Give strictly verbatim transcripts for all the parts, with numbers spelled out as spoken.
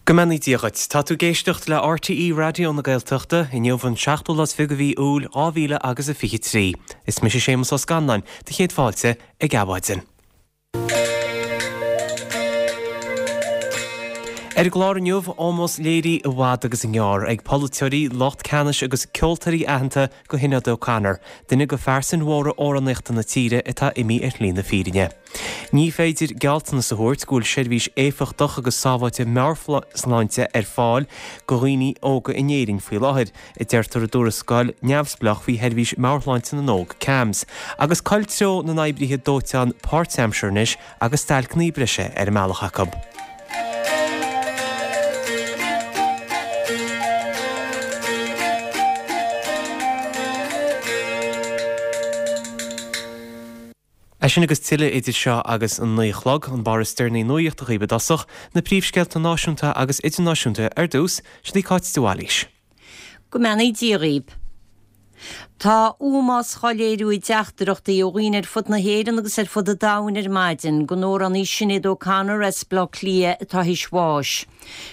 Go mbeannaí Dia dhuit. Tá tú ag éisteacht le RTÉ Raidió na Gaeltachta inniu an seachtú lá is fiche de mhí Iúil dhá mhíle agus a fiche trí. Is mise Séamus Ó Scanláin, do chéad fáilte ag Adhmhaidin. Ar an gclár inniu, ómós léirithe i bhfad agus i ngearr ag polaiteoirí, lucht ceannais agus ceoltóirí aitheanta do Shinéad O'Connor, duine de phearsain mhóra amhránaíochta na tíre atá imithe ar shlí na fírinne. Ní féidir gealltanas a thabhairt go bhfuil seirbhís éifeachtach agus sábháilte meabhairshláinte ar fáil do dhaoine óga in Éirinn faoi láthair, a deirtear i dtuarascáil neamhspleách faoi sheirbhís meabhairshláinte na n-óg, CAMHS, agus col treo na n-oibrithe dóiteáin páirtaimseartha anois agus stailceanna breise ar an mbealach acu. É sin agus tuilleadh idir seo agus an naoi a chlog, an barr is deireanaí nuachta dhaoibh i dtosach, na príomhscéalta náisiúnta agus idirnáisiúnta ar dtús, sin í Cáit de Bhailís. Go mbeannaí Dia dhaoibh. Tá ómós á léiriú i dteachtaireachtaí ó dhaoine ar fud na hÉireann agus ar fud an domhain ar maidin don amhránaí Sinéad O'Connor as Baile Átha Cliath atá théis bháis.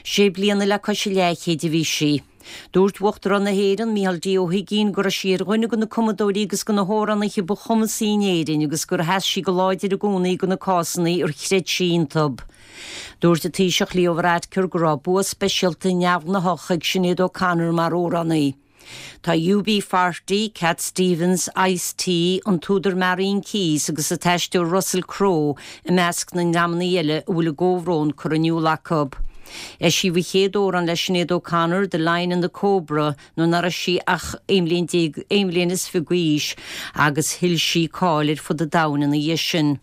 Sé bliana le cois a leathchéid a bhí sí. Dúirt Uachtarán na hÉireann, Micheál D. Ó hUigínn, go raibh sí ar dhuine de na cumadóirí agus de na hamhránaithe ba chumasaí in Éirinn agus gur sheas sí go láidir i gcónaí do na cásanna ar chreid sí iontu. Dúirt an Taoiseach Leo Varadkar go raibh bua speisialta neamhghnáthach ag Sinéad O'Connor mar amhránaí. Tá U B forty, Cat Stevens, Ice-T, an t-údar Marian Keyes agus an t-aisteoir Russell Crowe i measc na ndreamanna eile a bhfuil a gcomhbhrón curtha in iúl acu. Eisíodh a chéad amhrán le Sinéad O'Connor, The Lion and the Cobra, nuair nach raibh sí ach aon bhliain déag, aon bhliain is fiche d'aois agus thuill sí cáil ar fud an domhain ina dhiaidh sin.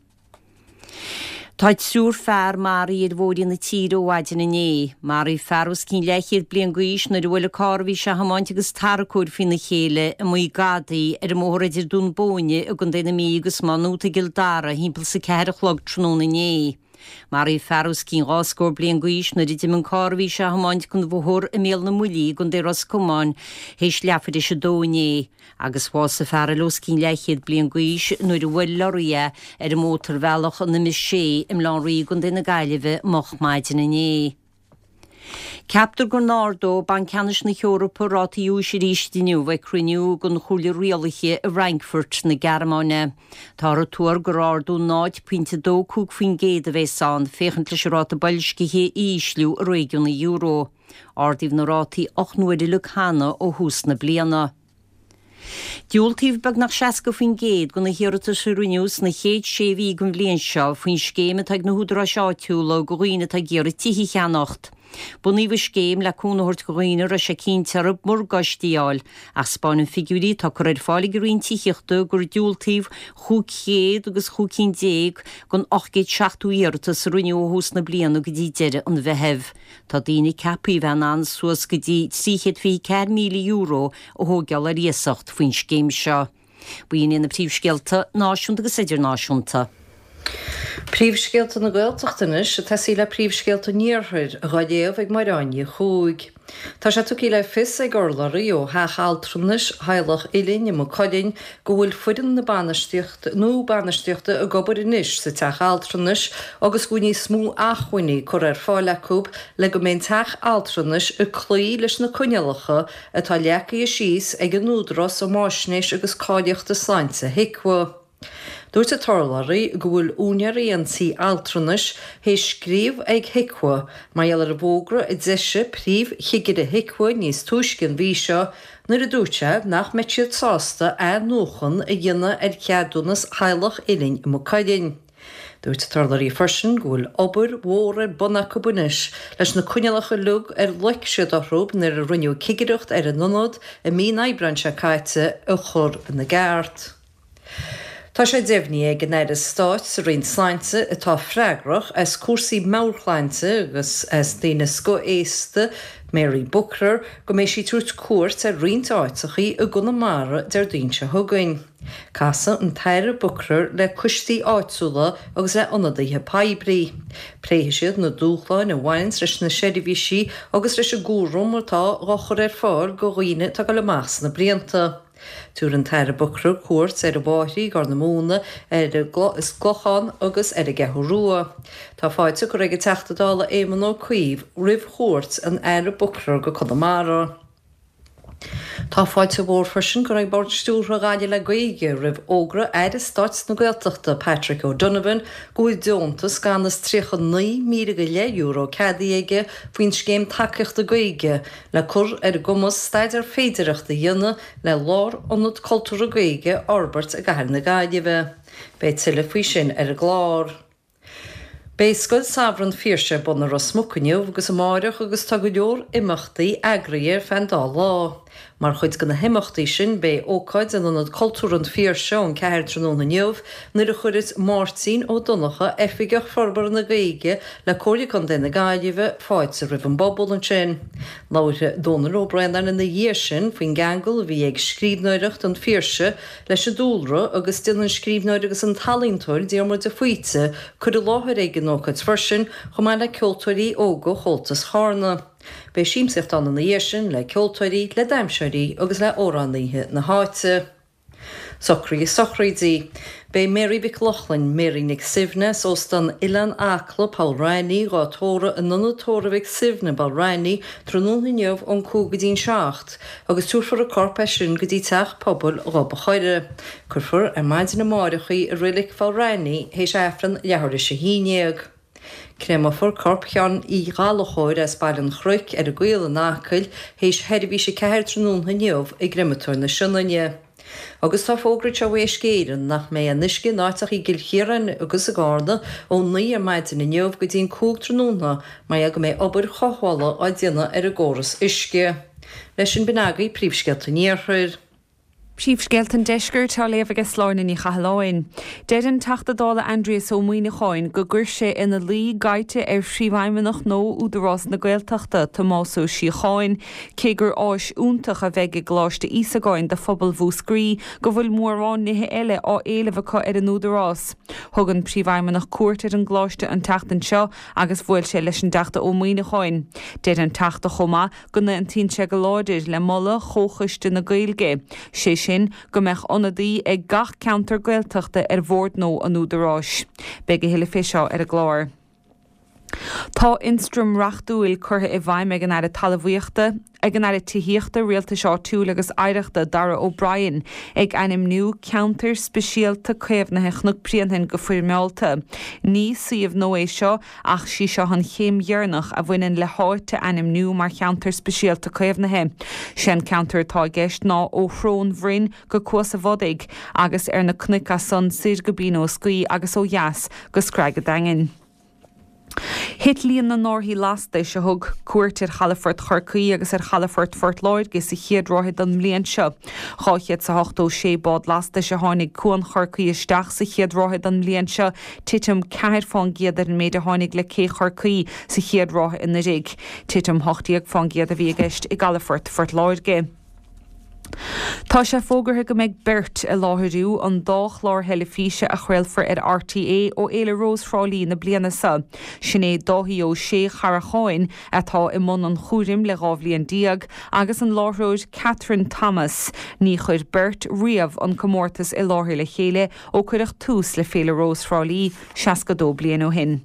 Tá triúr fear maraithe ar bhóithrí na tíre ó mhaidin inné. Maraíodh fear os cionn leathchéad bliain d'aois nuair a bhuail an carr a bhí sé a thiomáint agus tarracóir faoina chéile i Maigh Gadaí ar an mbóthar idir Dún Bóinne i gContae na Mí agus Maigh Nuat i gCill Dara thimpeall is a ceathair a chlog tráthnóna inné. Maraíodh fear os cionn dhá scór bliain d'aois nuair a d'imigh an carr a bhí sé a thiomáint den bhóthar i mBéal na mBuillí i gContae Ros Comáin théis leathuair théis a dó inné. Agus bhásaigh fear eile os cionn leathchéad bliain d'aois nuair a bhuail lorraí é ar an mótarbhealach an M sé i mBaile Átha an Rí i gContae na Gaillimhe moch maidin inné. Ceaptar go n-ardóidh Banc Ceannais na hEorpa rátaí úis arís inniu ag cruinniú den Chomhairle Rialaithe i bhFrankfurt na Gearmáine. Táthar ag tuar gur ardú náid pointe dó cúig faoin gcéad a bheas ann, féachaint leis an ráta boilscithe a ísliú i réigiún an euro. Ardaíodh na rátaí ocht n-uaire uilig cheana ó thús na bliana. Diúltaíodh beagnach seasca faoin gcéad de na hiarratais a rinneadh sna chéad sé mhí den bhliain seo faoin scéim atá ag na húdaráis áitiúla do dhaoine atá ag iarraidh tithe a cheannacht. Bunaíodh an scéim le cúnamh a thabhairt do dhaoine a raibh sé cinnte orthu morgáistí a fháil, ach 'spáineann figiúirí atá curtha ar fáil ag an Roinn Tithíochta gur diúltaíodh chúig chéad agus chúig cinn déag den ocht gcéad seachtó iarratas a rinneadh ó thús na bliana go dtí deireadh an Mheithimh. Tá daoine ceaptha a bheith in ann suas go dtí trí chéad fiche ceathair míle euro a thógáil ar iasacht faoin scéim seo. B'in iad na príomhscéalta náisiúnta agus idirnáisiúnta. Príomhscéalta na Gaeltachta anois, ag tosaí le príomhscéalta an Iarthair, dhá léamh ag Máire Áine Ní Chuaig. Tá sé tugtha le fios ag urlabhraí ó Theach Altranais Theaghlach Uilinn i Maigh Cuilinn go bhfuil foireann na bainistíochta nua bainistíochta ag obair anois sa teach altranais agus go bhfuil níos mó acmhainní curtha ar fáil acu le go mbeidh an teach altranais ag cloí leis na coinníollacha atá leagtha síos ag an Údarás um Fháisnéis agus Cáilíochta Sláinte, HIQA. Dúirt an t-urlabhraí go bhfuil úinéirí an tí altranais théis scríobh ag HIQA mar gheall ar an bhfógra a d'eisigh príomh-chigire HIQA níos túisce an mhí seo nuair a dúirt sé nach mbeadh siad sásta athnuachan a dhéanamh ar cheadúnas Theaghlach Uilinn i Maigh Cuilinn. Dúirt an t-urlabhraí freisin go bhfuil obair mhór ar bun acu anois leis na coinníollacha uilig ar loic siad orthu nuair a rinneadh cigireacht ar an ionad i mí an Aibreáin seo caite a chur ina gceart. Tá sé deimhnithe ag an Aire Stáit sa Roinn Sláinte atá freagrach as cúrsaí meabhairshláinte agus as daoine scothaosta, Mary Buckler, go mbeidh sí ag tabhairt cuairt ar roinnt áiteachaí i gConamara Déardaoin seo chugainn. Casfaidh an tAire Buckler le coistí áitiúla agus le ionadaithe poiblí. Pléifidh siad na dúshláin a bhaineanns leis na seirbhísí agus leis an gcúram atá á chur ar fáil do dhaoine atá ag dul amach sna blianta. Tabharfaidh an tAire Booker cuairt ar an bhFáithrí, Corr na Móna, ar an gClochán agus ar an gCeathrú Rua. Tá fáilte curtha ag an Teachta Dála Éamon Ó Cuív roimh chuairt an Aire Booker go Conamara. Tá fáilte mhór freisin curtha ag Bord Stiúrtha Ghaillimh le Gaeilge roimh fhógra Aire Stáit na Gaeltachta Patrick O'Donovan go bhfuil deontas gan is tríocha naoi míle go leith euro ceadaithe aige faoin scéim tacaíochta Gaeilge le cur ar a gcumas staidéar féidearthachta a dhéanamh le lárionad cultúrtha Gaeilge a fhorbairt i gcathair na Gaillimhe. Beidh tuilleadh faoi sin ar an gclár. Beidh Scoil Samhraidh an Phiarsaigh ar bun i Ros Muc inniu agus amáireach agus tá go leor imeachtaí eagraithe ar feadh an dá lá. Mar chuid de na himeachtaí sin beidh ócáid in Ionad Cultúrtha an Phiarsaigh ón ceathair tráthnóna inniu nuair a chuirfeas Máirtín Ó Donnchadha, Oifigeach Forbartha na Gaeilge le Comhairle Contae na Gaillimhe, fáilte roimh an bpobal ansin. Labharfaidh Dónal Ó Braonáin ina dhiaidh sin faoin gceangal a bhí ag scríbhneoireacht an Phiarsaigh leis an dúlra agus déanfaidh an scríbhneoir agus an t-ealaíontóir Diarmuid de Faoite cur i láthair ag an ócáid freisin, chomh maith le ceoltóirí óga Chomhaltas Charna. Beidh siamsaíocht ann ina dhiaidh sin le ceoltóirí, le damhsóirí agus le hamhránaithe na háite. Socruithe sochraidí. Beidh Mary Mhic Lochlainn, Mary Nic Suibhne, as Óstán Oileán Acla, Poll Raithní, dhá tórramh in Ionad Tórraimh Mhic Suibhne, Poll Raithní, tráthnóna inniu ón cúig go dtí'n seacht, agus tabharfar a corp as sin go dtí Teach Pobail Ghob a' Choire. Cuirfear ar maidin amáireach í i Reilig Pholl Raithní théis Aifreann leathuair théis a haon déag. Créamofar corp Sheáin Uí Ghallchóir as Baile an Chnoic ar an gCaol in Acaill théis sheirbhís a ceathair tráthnóna inniu i gCreamatóir na Sionainne. Agus tá fógra anseo ó Uisce Éireann nach mbeidh aon uisce in áiteacha i gCill Chiaráin agus i gCarna ó naoi ar maidin inniu go dtí an cúig tráthnóna mar gheall go mbeidh obair chothabhála á déanamh ar an gcóras uisce. Leis sin b'in agaibh príomhscéalta an Iarthair. Príomhscéalta an Deiscirt á léamh ag Sláine Ní Chathalláin. Deir an Teachta Dála Aindrias Ó Muimhneacháin go gcuir sé ina luí gaibhte ar phríomhfheidhmeannach nua Údarás na Gaeltachta, Tomás Ó Síocháin, cé gur áis iontach a bheidh i gColáiste Íosagáin do phobal Mhúscraí, go bhfuil mórán nithe eile á éileamh acu ar an Údarás. Thug an príomhfheidhmeannach cuairt ar an gcoláiste an tseachtain seo agus bhuail sé leis an dTeachta Ó Muimhneacháin. Deir an Teachta chomh maith go n-aontaíonn sé go láidir le moladh Chomhchoiste na Gaeilge, sé sin go mbeadh ionadaí ag gach ceantar Gaeltachta ar bhord nua an Údaráis. Beidh a thuilleadh fé seo ar an gclár. Tá ionstraim reachtúil curtha i bhfeidhm ag an Aire Talmhaíochta, ag an Aire Tithíochta, Rialtais Áitiúil agus Oidhreachta, Darragh O'Brien, ag ainmniú Ceantar Speisialta Caomhnaithe Chnoc Bréanainn go foirmeálta. Ní suíomh nua é seo ach sí seo an chéim dheireanach a bhaineann le háit a ainmniú mar cheantar speisialta caomhnaithe. Sé an ceantar atá i gceist ná ó Shrón Bhroin go Cuas a' Bhodaigh agus ar na cnoic as san soir go Binn Ó Scaoth agus ó dheas go Screig a' Daingin. Thit líon na n-árthaí lastais a thug cuairt ar chalafort Chorcaí agus ar chalafort Phort Láirge sa chéad ráithe den mbliain seo. Dhá chéad 's a hochtó sé bád lastais a tháinig Cuan Chorcaí isteach sa chéad ráithe den mbliain seo, titim ceathair fán gcéad ar an méid a tháinig le cé Chorcaí sa chéad ráithe anuraidh. Titim hocht déag fán gcéad a bhí i gceist i gcalafort Phort Láirge. Tá sé fógartha go mbeidh beirt ag láithriú an dá chlár theilifíse a chraolfar ar RTÉ ó Fhéile Rós Thrá Lí na bliana seo. Sin é Dáithí Ó Sé Charracháin, atá i mbun an chúraim le dhá bhliain déag, agus an láithreoir Catherine Thomas. Ní chuir beirt riamh an comórtas i láthair le chéile ó cuireadh tús le Féile Rós Thrá Lí seasca dó bliain ó shin.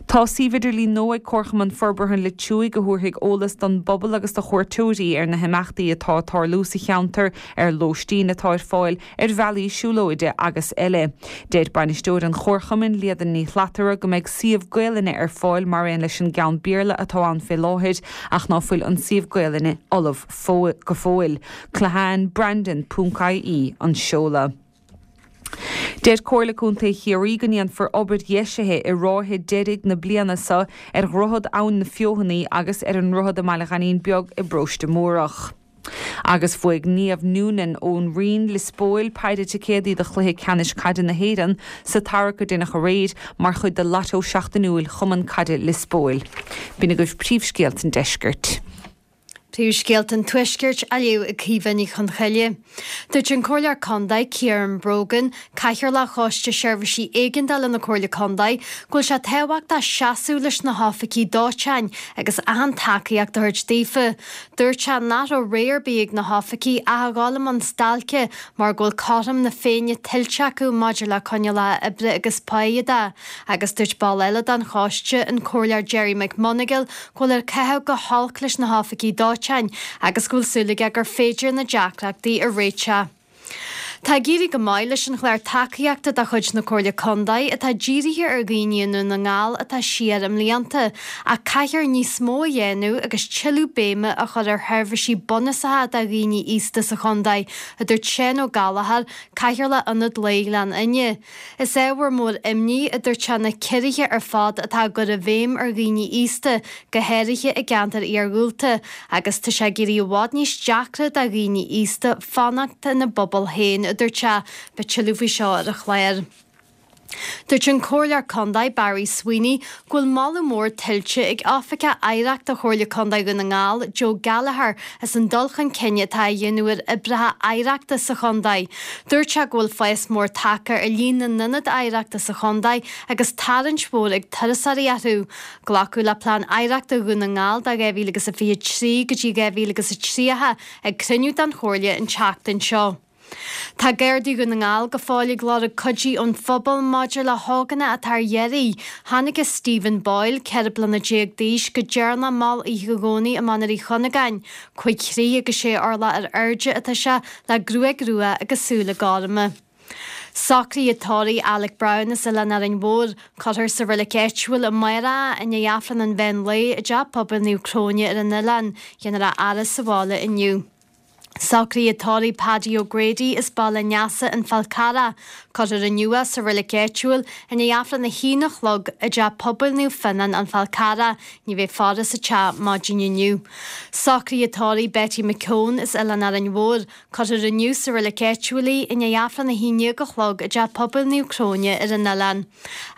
Tá suíomh idirlín nua ag Comharchumann Forbartha an Leitriúigh a thabharfaidh eolas don bpobal agus do chuairteoirí ar na himeachtaí atá ag tarlú sa cheantar, ar lóistín atá ar fáil, ar bhealaí siúlóide agus eile. Deir bainisteoir an Chomharchumainn, Líadan Ní Shlatara, go mbeidh suíomh Gaelainne ar fáil mar aon leis an gceann Béarla atá ann fé láthair ach ná fuil an suíomh Gaelainne ullamh go fóill. Clahan Brandon ponc ie an seoladh. Deir Comhairle Contae Chiarraí go ndéanfar obair dheisithe i ráithe deiridh na bliana seo ar Dhroichead Abhainn na Feothanaí agus ar an ndroichead i mBaile Ghainín Beag i bParóiste Múrach. Agus bhuaigh Niamh Noonan ón Rinn, Lios Póil, péire ticéadaí do chluiche ceannais caide na hÉireann sa tarrac a deineadh aréir mar chuid de Lotto seachtainiúil Chumann Caide Lios Póil. B'in agaibh príomhscéalta an deiscirt. Príomhscéalta an Tuaiscirt á léamh ag Caoimhe Ní Chonchoille. Dúirt an Comhairleoir Contae Ciarán Brogan, Cathaoirleach Choiste Seirbhísí Éigeandála na Comhairle Contae, go bhfuil sé tábhachtach seasamh leis na hoifigigh dóiteáin agus achan tacaíocht a thabhairt daofa. Dúirt sé nach raibh rogha ar bith ag na hoifigigh ach a dhul i mbun stailce mar go bhfuil cothrom na Féinne tuillte acu maidir le coinníollacha oibre agus páí de, agus dúirt ball eile den choiste, an Comhairleoir Gerry McMonagle, go bhfuil ag caitheamh go holc leis na hoifigigh dóiteáin agus go bhfuil súil aige gur féidir na deacrachtaí a réiteach. Tá ag éirí go maith leis an chlár tacaíochta de chuid na Comhairle Contae atá dírithe ar dhaoine i nDún na nGall atá siar i mblianta, ach caithfear níos mó a dhéanamh agus tuilleadh béime a chur ar sheirbhísí bunúsacha do dhaoine aosta sa chontae, a dúirt Seán Ó Gallchóir, Cathaoirleach Ionad Lae Ghleann Fhinne. Is ábhar mór imní, a dúirt sé, na ciorruithe ar fad atá á gcur i bhfeidhm ar dhaoine aosta, go háirithe i gceantair iargúlta, agus tá sé ag éirí i bhfad níos deacra do dhaoine aosta fanacht ina bpobal féin, a dúirt sé. Beidh tuilleadh faoi seo ar an chlár. Dúirt an Comhairleoir Contae Barry Sweeney go bhfuil moladh mór tuillte ag Oifigeach Oidhreachta Chomhairle Contae Dhún na nGall, Joe Gallagher, as an dul chun cinn atá á dhéanamh ar oibreacha oidhreachta sa chontae. Dúirt sé go bhfuil fás mór tagtha ar líon na n-ionad oidhreachta sa chontae agus tarraingt mhór ag turasóirí orthu. Glacadh le Plean Oidhreachta Dhún na nGall do dhá mhíle agus a fiche trí go dtí dhá mhíle agus a tríocha ag cruinniú den Chomhairle an tseachtain seo. Tá Gardaí Dhún na nGall go fóill ag lorg cuidí ón phobal maidir le hógánach atá ar iarraidh. Thángthas Stephen Boyle, ceithre bliana déag d'aois, go deireanach mall oíche Dhomhnaigh i Mainéar Uí Chuinneagáin. Cúig throigh agus sé orlach ar airde atá sé, le gruaig rua agus súile gorma. Socruithe tórraimh Alec Brown as Oileán Árainn Mhór, cuirfear sa reilig áitiúil amárach é i ndiaidh Aifreann an mheán lae i dTeach Pobail Naomh Cróine ar an oileán. Déanfar a fhaire sa bhaile inniu. Socruithe tórraimh Paddy O'Grady as Baile an Easa, An Fál Carrach. Cuirfear inniu é sa reilig áitiúil i ndiaidh Aifreann a haon a chlog i dTeach Pobail Naomh Fionnán, An Fál Carrach. Ní bheidh faire sa teach maidin inniu. Socruithe tórraimh Betty McKeown as Oileán Árainn Mhór. Cuirfear inniu sa reilig áitiúil í i ndiaidh Aifreann a haon déag a chlog i dTeach Pobail Naomh Cróine ar an oileán.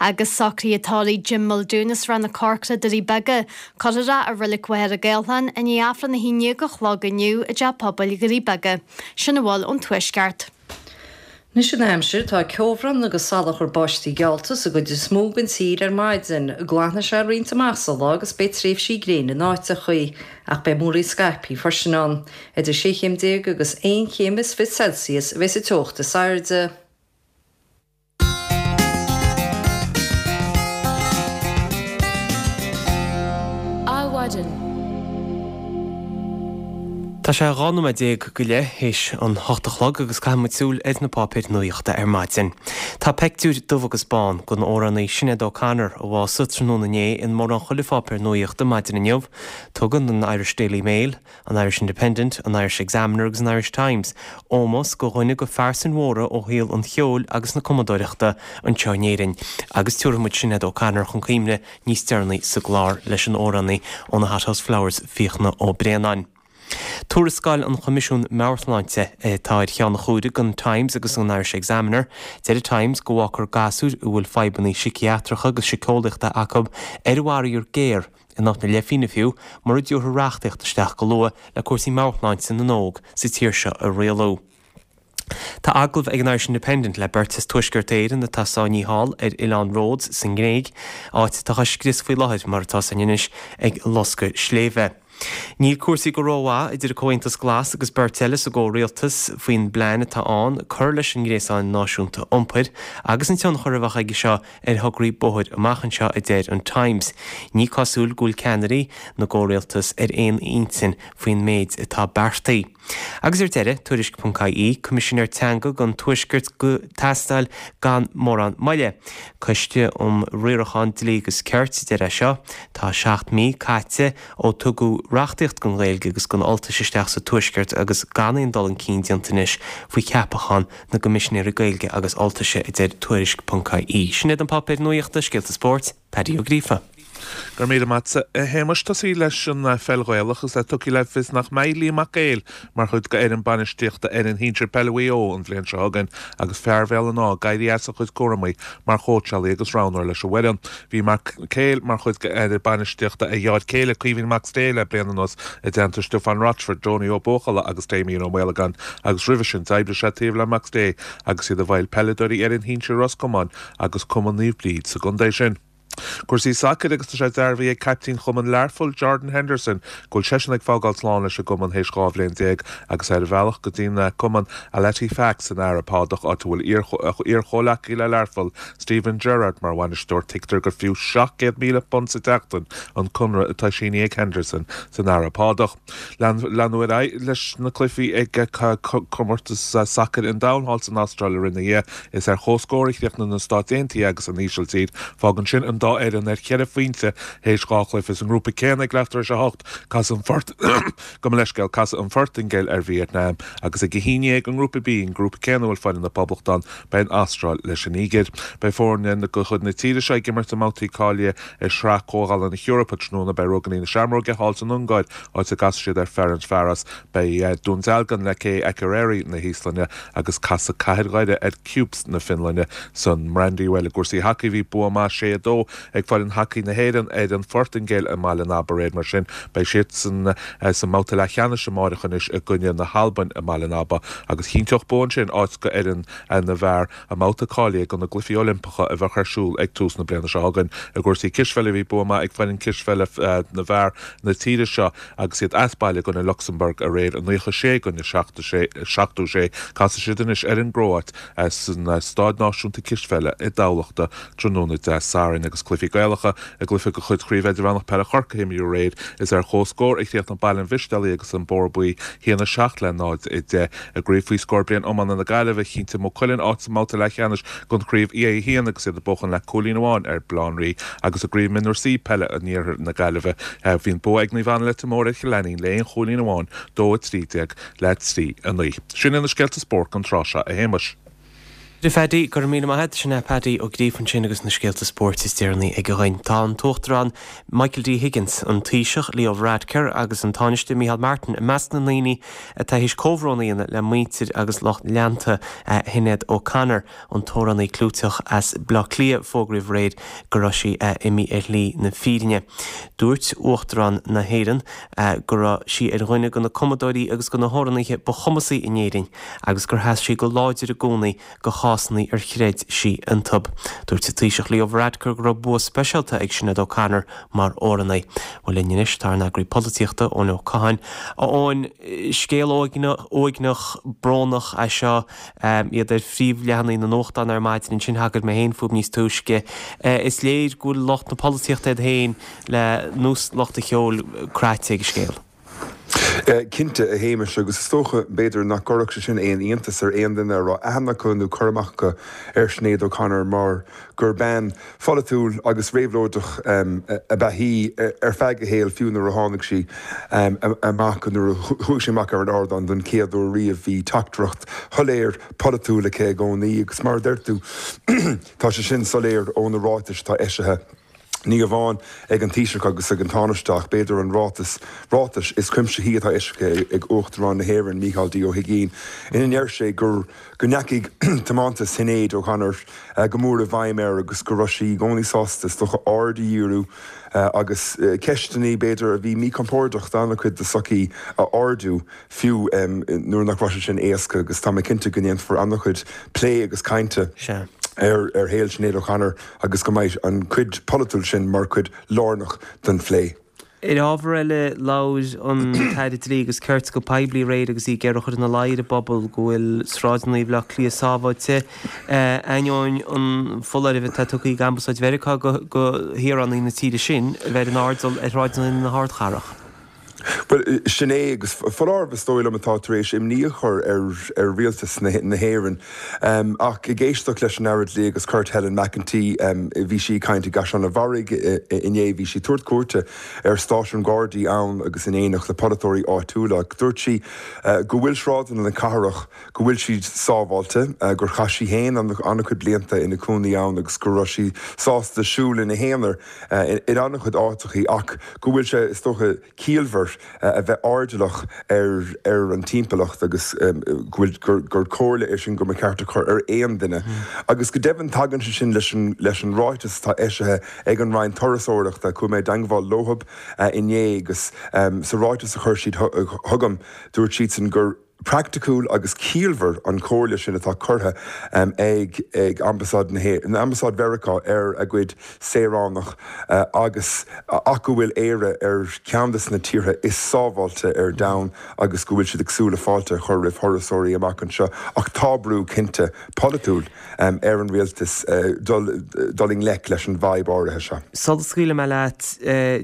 Agus socruithe tórraimh Jim Muldoon as Ráth na Corcra, Doirí Beaga. Cuirfear é i reilig Mhachaire Gathlán i ndiaidh Aifreann a haon déag a chlog inniu i dTeach Pobail Dhoirí Beaga. Sin a bhfuil ón Tuaisceart. Anois an aimsir, tá ceobhrán agus salachar báistí geallta sa gcuid is mó den tír ar maidin. Glanfaidh sé roinnt amach sa lá agus beidh tréimhsí gréine in áiteachaí, ach beidh múraíl scaipthe freisin ann. Idir sé chéim déag agus aon chéim is fiche Celsius a bheas an teocht is airde. Adhmhaidin. Tá sé dhá nóiméad déag go leith théis an hocht a chlog agus caithfidh muid súil ar na páipéir nuachta ar maidin. Tá peictiúr dubh agus bán den amhránaí Sinéad O'Connor a bhásaigh tráthnóna inné in mórán chuile pháipéar nuachta maidin inniu. Tugann an Irish Daily Mail, an Irish Independent, an Irish Examiner agus an Irish Times ómós do dhuine de phearsain mhóra ó shaol an cheoil agus na cumadóireachta anseo in Éirinn. Agus tabharfaidh muid Sinéad O'Connor chun cuimhne níos deireanaí sa gclár leis an amhránaí ó na Hothouse Flowers, Fiachna Ó Braonáin. Tuarascáil an Choimisiúin Meabhairshláinte atá ar cheann a chuaire don Times agus an Irish Examiner. Deir an Times go bhfágfar gasúir a bhfuil fadhbanna síciatracha agus síceolaíochta acu ar an bhfaraor géar, in áit na leithphingine fiú, mura dtabharfar reachtaíocht isteach go luath le cúrsaí meabhairshláinte na n-óg sa tír seo a rialú. Tá agallamh ag an Irish Independent le beirt as Tuaisceart Éireann atá sáinnithe thall ar oileán Rhodes sa nGréig, áit atá á scrios faoi láthair mar atá san anois ag loscadh sléibhe. Níl cúrsaí go rómhaith idir an Comhaontas Glas agus beirt eile sa gcomhrialtas faoin bplean atá ann cur leis an ngréasán náisiúnta iompair agus an tionchar a bheadh aige seo ar thograí bóthair amach anseo, a deir an Times. Ní cosúil go bhfuil ceannairí na gcomhrialtas ar aon intinn faoin méid atá beartaithe. Agus ar deireadh, Tuairisc ponc I E, Coimisinéir Teanga don Tuaisceart ag teastáil gan mórán moille. Coiste um Riarachán, Dlí agus Cirt a deir é seo. Tá seacht mí caite ó tugadh reachtaíocht don Ghaeilge agus don Ultais isteach sa Tuaisceart agus gan aon dul chun cinn déanta anois faoi cheapachán na gCoimisinéirí Gaeilge agus Ultaise, a deir Tuairisc ponc I E. Sin iad na páipéir nuachta, scéalta spóirt, Paddy Ó Gríofa. Go raibh míle maith agat, a Shéamais. Tosaí leis an pheil Ghaelach is é tugtha le fios nach mbeidh Liam Mac Éil mar chuid d'fhoireann bainistíochta fhoireann shinsir peile Mhaigh Eo an bhliain seo chugainn agus fear Bhéal an Átha ag éirí as a chuid cúramaí mar chóitseálaí agus roghnóir leis an bhfoireann. Bhí Mac Éil mar chuid d'fhoireann bainistíochta a dheartháir céile Caoimhín Mac Sté le bliain anuas i dteannta Stiofán Rochford, Donie Ó Buachalla agus Damien Ó Maolagáin agus roimhe sin d'oibrigh sé taobh le Mac Sté agus iad i bhfeighil peileadóirí fhoireann shinsir Ros Comáin agus Cumann Naomh Bríd sa gcontae sin. Cúrsaí sacair agus tá sé dearbhaithe ag caiptín Chumann Learphoill Jordan Henderson go bhfuil seisean ag fágáil slán leis an gcumann théis dhá bhliain déag agus é ar a bhealach go dtí an cumann Al Ettifaq san Araib Shádach áit a bhfuil iar-chomhleacaí le Learpholl Steven Gerrard mar bhainisteoir. Tuigtear gur fiú seacht gcéad míle punt sa tseachtain an conradh atá sínithe ag Henderson san Araib Shádach. Leanadh ar aghaidh leis na cluichí ag comórtas sacair an domhain thall san Astráil aréir inné. Is ar comhscór a chríochnaigh na Stáit Aontaithe agus an Ísiltír. Fágann sin an dá fhoireann ar cheithre phointe théis dhá chluiche. Sa ngrúpa céanna ag leath tar éis a hocht, casfaidh an Phort Gabh mo leithscéal, casfaidh an Phortaingéil ar Vítneam agus ag a haon déag i ngrúpa B, an grúpa céanna a bhfuil foireann na Poblachta ann, beidh an Astráil leis an Nigéir. Beidh foirne de chuid na tíre seo ag imirt i mbabhtaí cáilithe i Sraith Comhdhála na hEorpa tráthnóna. Beidh Ruagairí na Seamróige thall san Ungáir, áit a gcasfaidh siad ar Ferencvaros. Beidh Dún Dealgan le K Akureyri na hÍoslainne agus casfaidh Cathair Dhoire ar KuPS na Fionlainne san Mbrandywell. I gcúrsaí hacaí bhí bua maith sé a dó ag foireann hacaí na hÉireann ar an Phortaingéil i mBaile an Aba aréir. Mar sin beidh siadsan sa mbabhta leathcheannais amáireach anois i gcoinne na hAlbain i mBaile an Aba agus chinnteodh bua ansin áit go fhoireann na bhfear i mbabhta cáilithe do na gCluichí Oilimpeacha a bheadh ar siúl ag tús na bliana seo chugainn. I gcúrsaí cispheile bhí bua maith ag foireann cispheile na bhfear na tíre seo agus iad as baile i gcoinne Lucsamburg aréir, nócha sé i gcoinne seachtó sé. Casfaidh siad anois ar an gCróit san Staid Náisiúnta Cispheile i dTamhlachta tráthnóna Dé Sathairn agus cluichí Gaelacha i gcluiche de chuid Chraobh Idirmheánach Peile Chorcaí a imríodh aréir. Is ar comhscór a chríochnaigh Baile an Mhistéalaigh agus an Bóthar Buí, a haon a seacht le náid a deich. I gCraobh faoi scór bliain iomána na Gaillimhe, chinntigh Maigh Cuilinn áit sa mbabhta leathcheannais den chraobh A a haon agus iad ag buachan le cúilín amháin ar Bhaile Átha an Rí agus i gCraobh Mionúr C Peile an Iarthair na Gaillimhe, bhí an bua ag Naomh Anna Leitir Móir ar Chill Ainnín le aon chúilín amháin, dó a trí déag le trí a naoi. Sin iad na scéalta spóirt don tráth seo, a Shéamais. A Phaddy, go raibh míle maith agat. Sin é Paddy Ó Gríofa ansin agus na scéalta spóirt is deireanaí aige dhuinn. Tá an tUachtarán Michael D Higgins, an Taoiseach Leo Varadkar agus an Tánaiste Micheál Martin i measc na ndaoine atá théis comhbhrón a dhéanamh le muintir agus lucht leanta Shinéad O'Connor, an t-amhránaí clúiteach as Baile Átha Cliath a fógraíodh aréir go raibh sí imithe ar shlí na fírinne. Dúirt Uachtarán na hÉireann go raibh sí ar dhuine de na cumadóirí agus de na hamhránaithe ba chumasaí in Éirinn agus gur sheas sí go láidir i gcónaí do chásanna ar chreid sí iontu. Dúirt an Taoiseach Leo Varadkar go raibh bua speisialta ag Sinéad O'Connor mar amhránaí. Bhuel linn anois tá ár n-eagraí polaitíochta, Eoin Ó Catháin. A Eoin, scéal uaigneach, brónach é seo, iad ar phríomhleathanaigh na nuachtán ar maidin ansin, thagair mé féin fúthu níos túisce. Is léir go bhfuil lucht na polaitíochta iad féin le nós lucht an cheoil craite ag an scéal. Cinnte, a Shéamais, agus is dócha, b'fhéidir, nach gcuirfeadh sé sin aon iontas ar aon duine a raibh aithne acu nó cur amach acu ar Sinéad O'Connor mar gur bean pholaitiúil agus réabhlóideach ab ea í ar feadh a shaoil, fiú nuair a tháinig sí amach, nuair a chuaigh sí amach ar an ardán don chéad uair riamh, bhí teachtaireacht shoiléir pholaitiúil aici i gcónaí agus mar a deir tú, tá sé sin soiléir ó na ráitis atá eisithe. Ní amháin ag an Taoiseach agus ag an Tánaiste ach b'fhéidir an ráiteas ráitis is cuimsithí atá eisithe ag Uachtarán na hÉireann, Mícheál D. Ó hUigínn, ina ndeir sé gur go ndeachaigh tiomantas Shinéad O'Connor go mór i bhfeidhm air agus go raibh sí i gcónaí sásta is dócha aird a dhíriú agus ceisteanna b'fhéidir a bhí míchompordach d'an-chuid de sochaí a ardú fiú nuair nach raibh sé sin éasca agus tá mé cinnte go ndéanfar an-chuid plé agus cainte ar ar shaol Sinéad O'Connor agus go mbeidh an chuid pholaitiúil sin mar chuid lárnach den phlé. Ar ábhar eile, labhair an tAire Dlí agus Cirt go poiblí aréir agus í ag iarraidh a chur ina luí ar an bpobal go bhfuil sráideanna Bhaile Átha Cliath sábháilte, ainneoin an foláirimh atá tugtha ag Ambasáid Mheiriceá go shaoránaigh na tíre sin a bheith ar an airdeall ar shráideanna na hardchathrach. Bhuel, sin é, agus foláireamh is dóigh liom atá tar éis imní a chur ar ar rialtas na na hÉireann. Ach ag éisteacht leis an Aire Dlí agus Cirt Helen McEntee, bhí sí ag caint i gCaisleán an Bharraigh inné, bhí sí ag tabhairt cuairte ar stáisiún Gardaí ann agus in éineacht le polaiteoirí áitiúla. Dúirt sí go bhfuil sráideanna na cathrach, go bhfuil siad sábháilte, gur chaith sí féin an-chuid blianta ina cónaí ann agus go raibh sí sásta siúl ina haonar in an-chuid áiteachaí ach go bhfuil sé, is dócha, ciallmhar a bheith airdeallach ar ar an timpeallacht agus go bhfuil gur gur comhairle é sin go mba cheart a chur ar aon duine. Agus go deimhin tagann sé sin leis an leis an ráiteas atá eisithe ag an Roinn Turasóireachta, chuaigh mé i dteangmháil leothab inné agus sa ráiteas a chuir siad chugam dúirt siadsan gur praiticiúil agus ciallmhar an chomhairle sin atá curtha ag ag Ambasáid na hÉireann, Ambasáid Mheiriceá ar a gcuid saoránach agus ach go bhfuil Éire ar cheann de na tíortha is sábháilte ar domhan agus go bhfuil siad ag súil le fáilte a chur roimh thurasóirí amach anseo. Ach tá brú cinnte polaitiúil ar an rialtas dul dul i ngleic leis an bhfadhb áirithe seo. Sula scaoilfidh mé leat,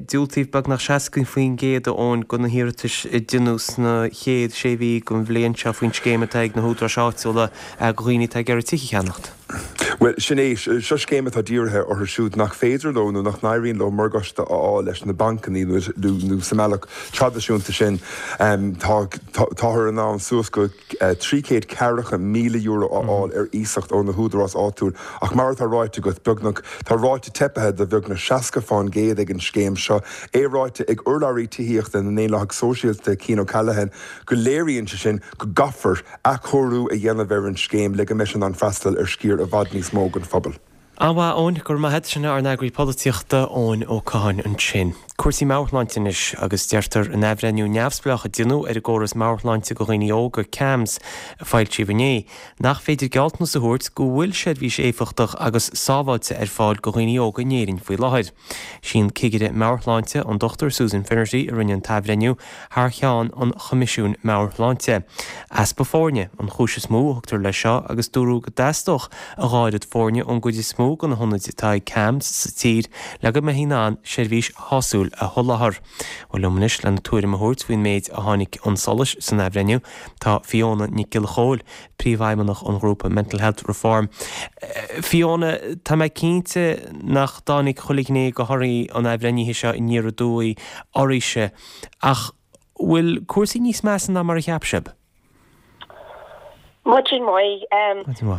diúltaíodh beagnach seasca faoin gcéad a Eoin de na hiarratais a deineadh sna chéad sé mhí den bhliain seo faoin scéim atá ag na húdaráis áitiúla do dhaoine atá ag iarraidh tithe a cheannacht. Bhuel, sin é. Seo scéim atá dírithe orthu siúd nach féidir leo nó nach n-éiríonn leo morgáiste a fháil leis na bancanna nó sa mbealach traidisiúnta sin. Tá táthar in ann suas go trí chéad ceathracha míle euro a fháil ar iasacht ó na húdaráis áitiúil ach mar atá ráite agat, beagnach, tá ráta teipthe de bheagnach seasca fán gcéad ag an scéim seo. É ráite ag urlabhraí tithíochta na nDaonlathach Sóisialta, Cian O'Callaghan, go léiríonn sé sin go gcaithfear athchóiriú a dhéanamh ar an scéim le go mbeidh sé in ann freastal ar sciar i bhfad níos mó den phobal. An-mhaith, Eoin, go raibh maith agat. Sin ár n-eagraí polaitíochta, Eoin Ó Catháin ansin. Cúrsaí meabhairshláinte anois agus deirtear in athbhreithniú neamhspleách a deineadh ar an gcóras meabhairshláinte do dhaoine óga, CAMHS, a foilsíodh inné, nach féidir gealltanas a thabhairt go bhfuil seirbhís éifeachtach agus sábháilte ar fáil do dhaoine óga in Éirinn faoi láthair. Sí an Cigire Meabhairshláinte, an Dochtúir Susan Finnerty, a rinne an t-athbhreithniú thar cheann an Choimisiúin Meabhairshláinte. Easpa foirne an chúis is mó a thugtar leis seo agus dúradh go dteastódh a dhá oiread foirne ón gcuid is mó de na hionaid atá ag CAMHS sa tír le go mbeifí in ann seirbhís shásúil a sholáthar. Bhuel liom anois lena tuairim a thabhairt faoin méid a tháinig chun solais san athbhreithniú tá Fiona Nic Giolla Chóill, Príomhfheidhmeannach an ghrúpa Mental Health Reform. Fiona, tá mé cinnte nach dtáinig chuile ghné de thorthaí an athbhreithnithe seo aniar aduaidh oraibhse, ach bhfuil cúrsaí níos measa ná mar a cheap sibh? Maidin mhaith.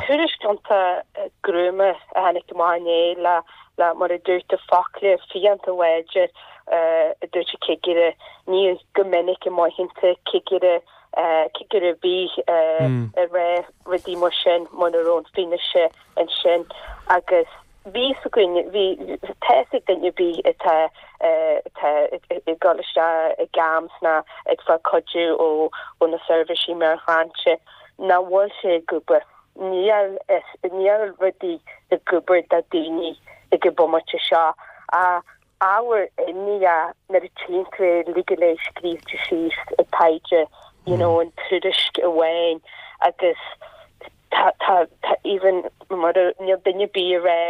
Tuairisc iontach gruama a tháinig amach inné le le mar a dúirt tú focla fiánta láidir a dúirt an cigire. Ní go minic a mhothaíonn tú cigire cigire ar bith ag rá rudaí mar sin muna raibh an fianaise ansin agus bhí fhios againn, bhí, tá fhios ag duine ar bith atá, atá ag dul isteach i gCAMHS ná ag fáil cuidiú ó, ó na seirbhísí meabhairshláinte nach bhfuil sé ag obair. Níl, níl rudaí ag obair do daoine ag an bomaite seo. Ábhar imní é nuair a tchíonn tú é uilig go léir scríofa síos i taighde, you know, an tuairisc amháin agus tá, tá, tá even mar a, níl duine ar bith ag rá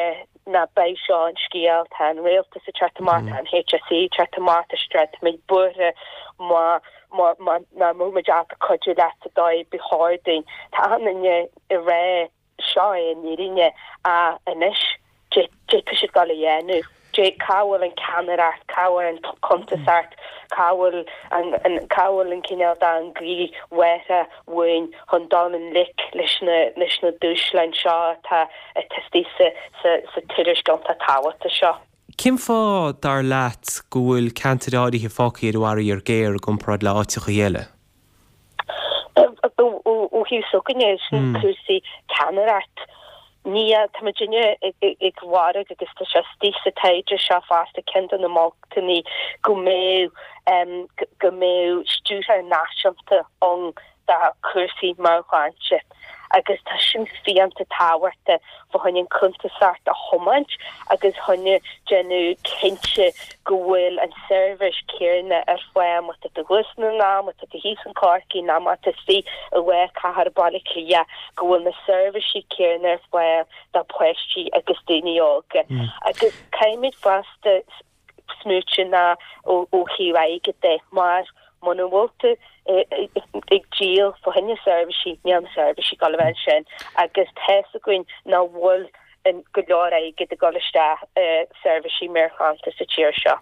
ná beidh seo an scéal, tá an rialtas ag teacht amach, tá an HSE ag teacht amach, tá siad ag rá táimid buartha má, má, má, nach mbeidh muid ábalta cuidiú leat sa dóigh ba chóir dúinn. Tá achan duine ag rá seo é an fhírinne ach anois cad é tá siad ag dul a dhéanamh. Cá bhfuil an ceannaireacht, cá bhfuil an cuntasacht, cá bhfuil an, cá bhfuil an cineál den ghaoth mháthair uainn chun dul i ngleic leis na, leis na dúshláin seo atá, atá istigh sa, sa, sa tuairisc iontach tábhachtach seo. Cén fáth, dar leat, go bhfuil ceantair áirithe fágtha ar an bhfaraor géar i gcomparáid le áiteacha eile? Ó thaobh s'againne, sin cúrsaí ceannaireacht. Níl, tá muidinne ag lorg agus tá sé istigh sa taighde seo fosta ceann de na moltaí go mbeadh go mbeadh stiúrthóir náisiúnta ann do chúrsaí meabhairshláinte agus tá sin fiúntach tábhachtach fá choinne an cuntasacht a thiomáint agus chun déanamh cinnte go bhfuil an seirbhís céanna ar fáil má tá tú thuas i nDún na nGall, má tá tú thíos in Corcaigh nó má tá tú istigh i lár cathair Baile Átha Cliath go bhfuil na seirbhísí céanna ar fáil do pháistí agus daoine óga. Agus caithfimid fosta smaoitiú ná ó thaobh airgid de mar Muna bhfuil tú ag díol fá choinne seirbhísí, níl na seirbhísí ag dul a bheith ansin agus tá's againn nach bhfuil go leor airgid ag dul isteach i seirbhísí meabhairshláinte sa tír seo.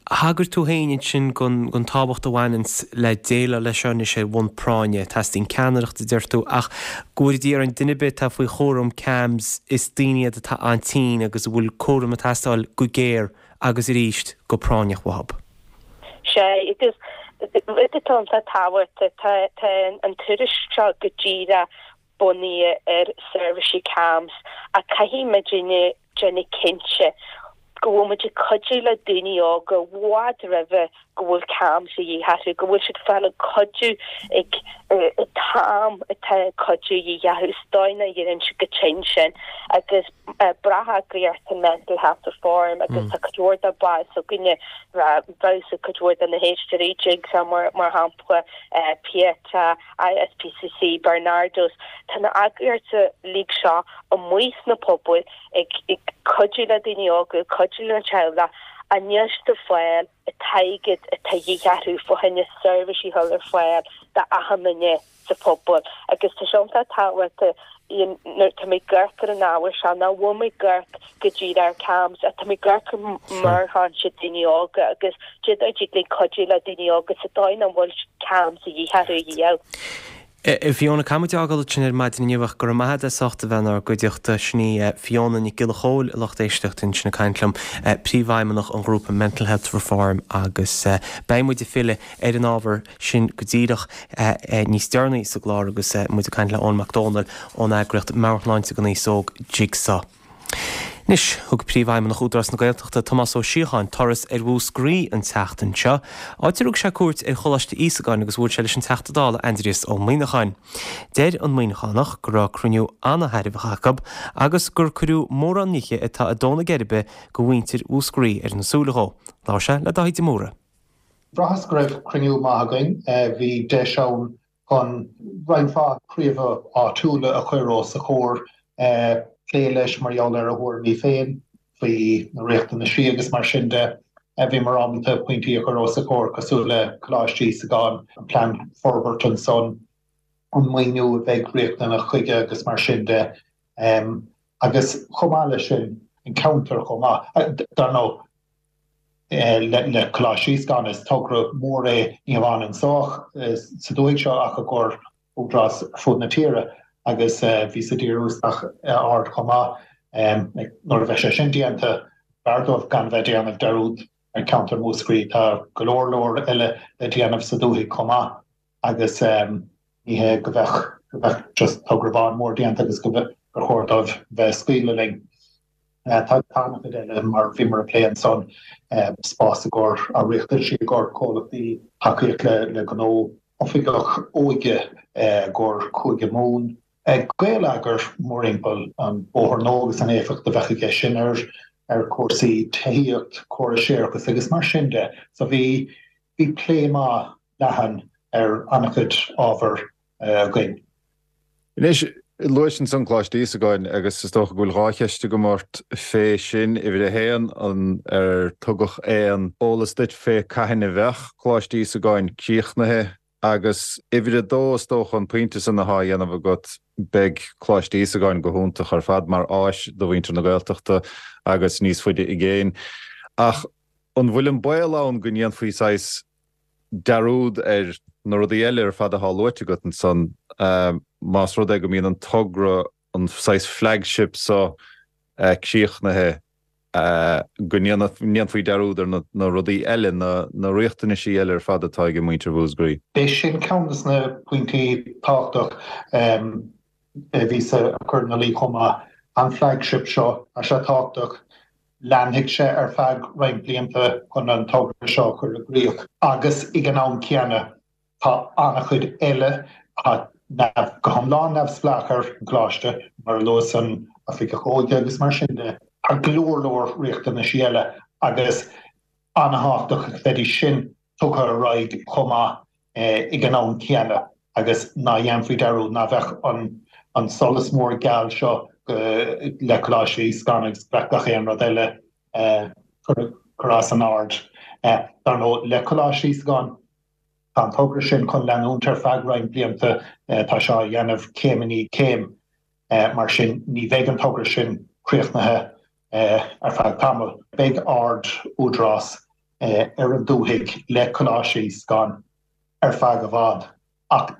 Thagair tú féin ansin don tábhacht a bhaineanns le déileáil leis seo anois ar bhonn práinne. Teastaíonn ceannaireacht, a deir tú, ach go bhfóire Dia orainn, duine ar bith atá faoi chúram CAMHS, is daoine iad atá an-tinn agus a bhfuil cúram ag teastáil go géar agus arís go práinneach uathu. Sea, agus rud atá iontach tábhachtach, tá an tuairisc seo go díreach bunaithe ar seirbhísí CAMHS ach caithfidh muidinne déanamh cinnte go bhfuil muid ag cuidiú le daoine óga i bhfad roimhe go bhfuil CAMHS a dhíth orthu, go bhfuil siad ag fáil an cuidiú ag an t-am atá an cuidiú a dhíth orthu. Is dóigh nach n-éiríonn siad chomh tinn sin agus breá-eagraíocht an Mental Health Reform agus tá cuid mhór dá baill s'againne, bheadh cuid mhór de na héisteoirí, Jigsaw mar shampla, Pieta, ISPCC, Barnardos, tá na eagraíochtaí uilig seo amuigh sna pobail ag cuidiú le daoine óga, ag cuidiú lena teaghlach, ach níl siad ag fáil an t-airgead atá de dhíth orthu fá choinne seirbhísí a chur ar fáil d'achan duine sa phobal. Agus tá sé iontach tábhachtach nuair tá mé ag amharc ar an ábhar seo nach bhfuil mé ag amharc go díreach ar CAMHS ach tá mé ag amharc ar mheabhairshláinte daoine óga agus cad é mar a thig linn cuidiú le daoine óga sa dóigh nach bhfuil CAMHS a dhíth orthu a dhíol. A Fiona, caithfidh muid fhágáil ansin ar maidin inniu ach go raibh maith agat as ucht a bheith inár gcuideachta. Sin í Fiona Nic Giolla Chóill, a lucht éisteachta, ansin ag caint liom, Príomhfheidhmeannach an ghrúpa Mental Health Reform agus beidh muid ag filleadh ar an ábhar sin go díreach níos deireanaí sa gclár agus muid ag caint le Eoin Mac Dónaill ón eagraíocht Meabhairshláinte don Aos Óg, Jigsaw. Anois, thug Príomhfheidhmeannach Údarás na Gaeltachta, Tomás Ó Síocháin, turas ar Mhúscraí an tseachtain seo, áit ar thug sé cuairt ar Choláiste Íosagáin agus bhuail sé leis an Teachta Dála Aindrias Ó Muimhneacháin. Deir an Muimhneachánach go raibh cruinniú ana-thairbheach acu agus gur cuireadh mórán nithe atá ag dó na geirbe go mhuintir Mhúscraí ar na súile dhó. Labhair sé le Dáithí de Mórdha. Bhraitheas go raibh cruinniú maith againn. Bhí deis ann chun roinnt mhaith príomhaithe áitiúla a chur os a chomhair, plé leis mar gheall ar a thuairimí féin faoi na riachtanaisí agus mar sin de. Bhíomar ábalta pointí a chur os a chomhair cosúil le Coláiste Íosagáin, an plean forbartha ansan, an maoiniú a bheidh riachtanach chuige agus mar sin de. Agus chomh maith leis sin, an ceantar chomh maith. Dar ndóigh, le Coláiste Íosagáin, is togra mór é ní hamháin anso sa dúthaigh seo ach i gcomhair údarás ar fud na tíre agus bhíothas ag díriú isteach aird chomh maith. Nuair a bheidh sé sin déanta, b'fhearr dóibh gan bheith ag déanamh dearúd ar cheantar Mhúscraí. Tá go leor leor eile le déanamh sa dúthaigh chomh maith agus ní hé go bheadh go bheadh just togra amháin mór déanta agus go gur chóir dóibh bheith ag scaoileadh linn. Tá an-chuid eile mar bhíomar ag plé ansan, spás i gcomhair riachtanaisí i gcomhair comhlachtaí, tacaíocht le gnó, oifigeach óige i gcomhair Cúige Mumhan, Gaeleagar mórthimpeall an bóthar nua agus an éifeacht a bheadh aige sin ar ar chúrsaí tithíocht, córais séarachais agus mar sin de. So bhí bhí plé maith leathan ar an-chuid ábhar againn. Anois, luais ansan Coláiste Íosagáin agus is dócha go bhfuil dhá cheist agam ort fé sin. Uimhir a haon, an ar tugadh aon eolas duit fé cathain a bheadh Coláiste Íosagáin críochnaithe? Agus uimhir a dó, is dócha an pointe san athá á dhéanamh agat, beidh Coláiste Íosagáin go hiontach ar fad mar áis do mhuintir na Gaeltachta agus níos faide i gcéin. Ach an bhfuil an baol ann go ndéanfaí saghas dearúd ar na rudaí eile ar fad atá luaite agat ansan, más rud é go mbíonn an togra, an saghas flagship so críochnaithe, go ndéanfaí dearúd ar na rudaí eile, na riachtanaisí eile ar fad atá ag muintir Mhúscraí. B'é sin ceann de na pointí tábhachtach a bhíos a chur ina luí chomh maith. An flagship seo, tá sé tábhachtach. Leanfaidh sé ar feadh roinnt blianta chun an togra seo a chur i gcrích agus ag an am céanna tá an-chuid eile atá go hiomlán neamhspleách ar an gcoláiste, mar a luas an Oifigeach Óige agus mar sin de. Tá go leor leor riachtanaisí eile agus an-thábhachtach go mbeidís sin tugtha ar aghaidh chomh maith ag an am céanna agus ná dhéanfaí dearúd, ná bheadh an solas mór geal seo le Coláiste Íosagáin agus go mbeadh gach aon rud eile curtha as an aird. Dar ndóigh, le Coláiste Íosagáin, Tá an togra sin chun leanúint ar feadh roinnt blianta, tá sé á dhéanamh céim i ndiaidh céim, mar sin ní bheidh an togra sin críochnaithe ar feadh tamaill. Beidh aird Údarás ar an dúthaigh le Coláiste Íosagáin ar feadh i bhfad ach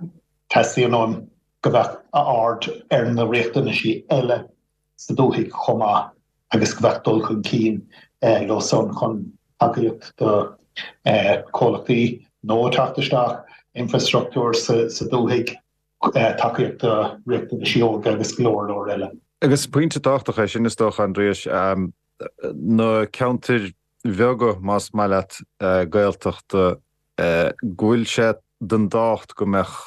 teastaíonn uaim go mbeadh a aird ar na riachtanaisí eile sa dúthaigh chomh maith agus go mbeadh dul chun cinn leo san chun tacaíocht do chomhlachtaí nua teacht isteach, infreastruchtúr sa dúthaigh, tacaíocht do riachtanaisí óige agus go leor leor eile. Agus pointe tábhachtach é sin is dócha, Aindrias, na ceantair bheaga, más maith leat, Gaeltachta, go bhfuil sé den tábhacht go mbeadh,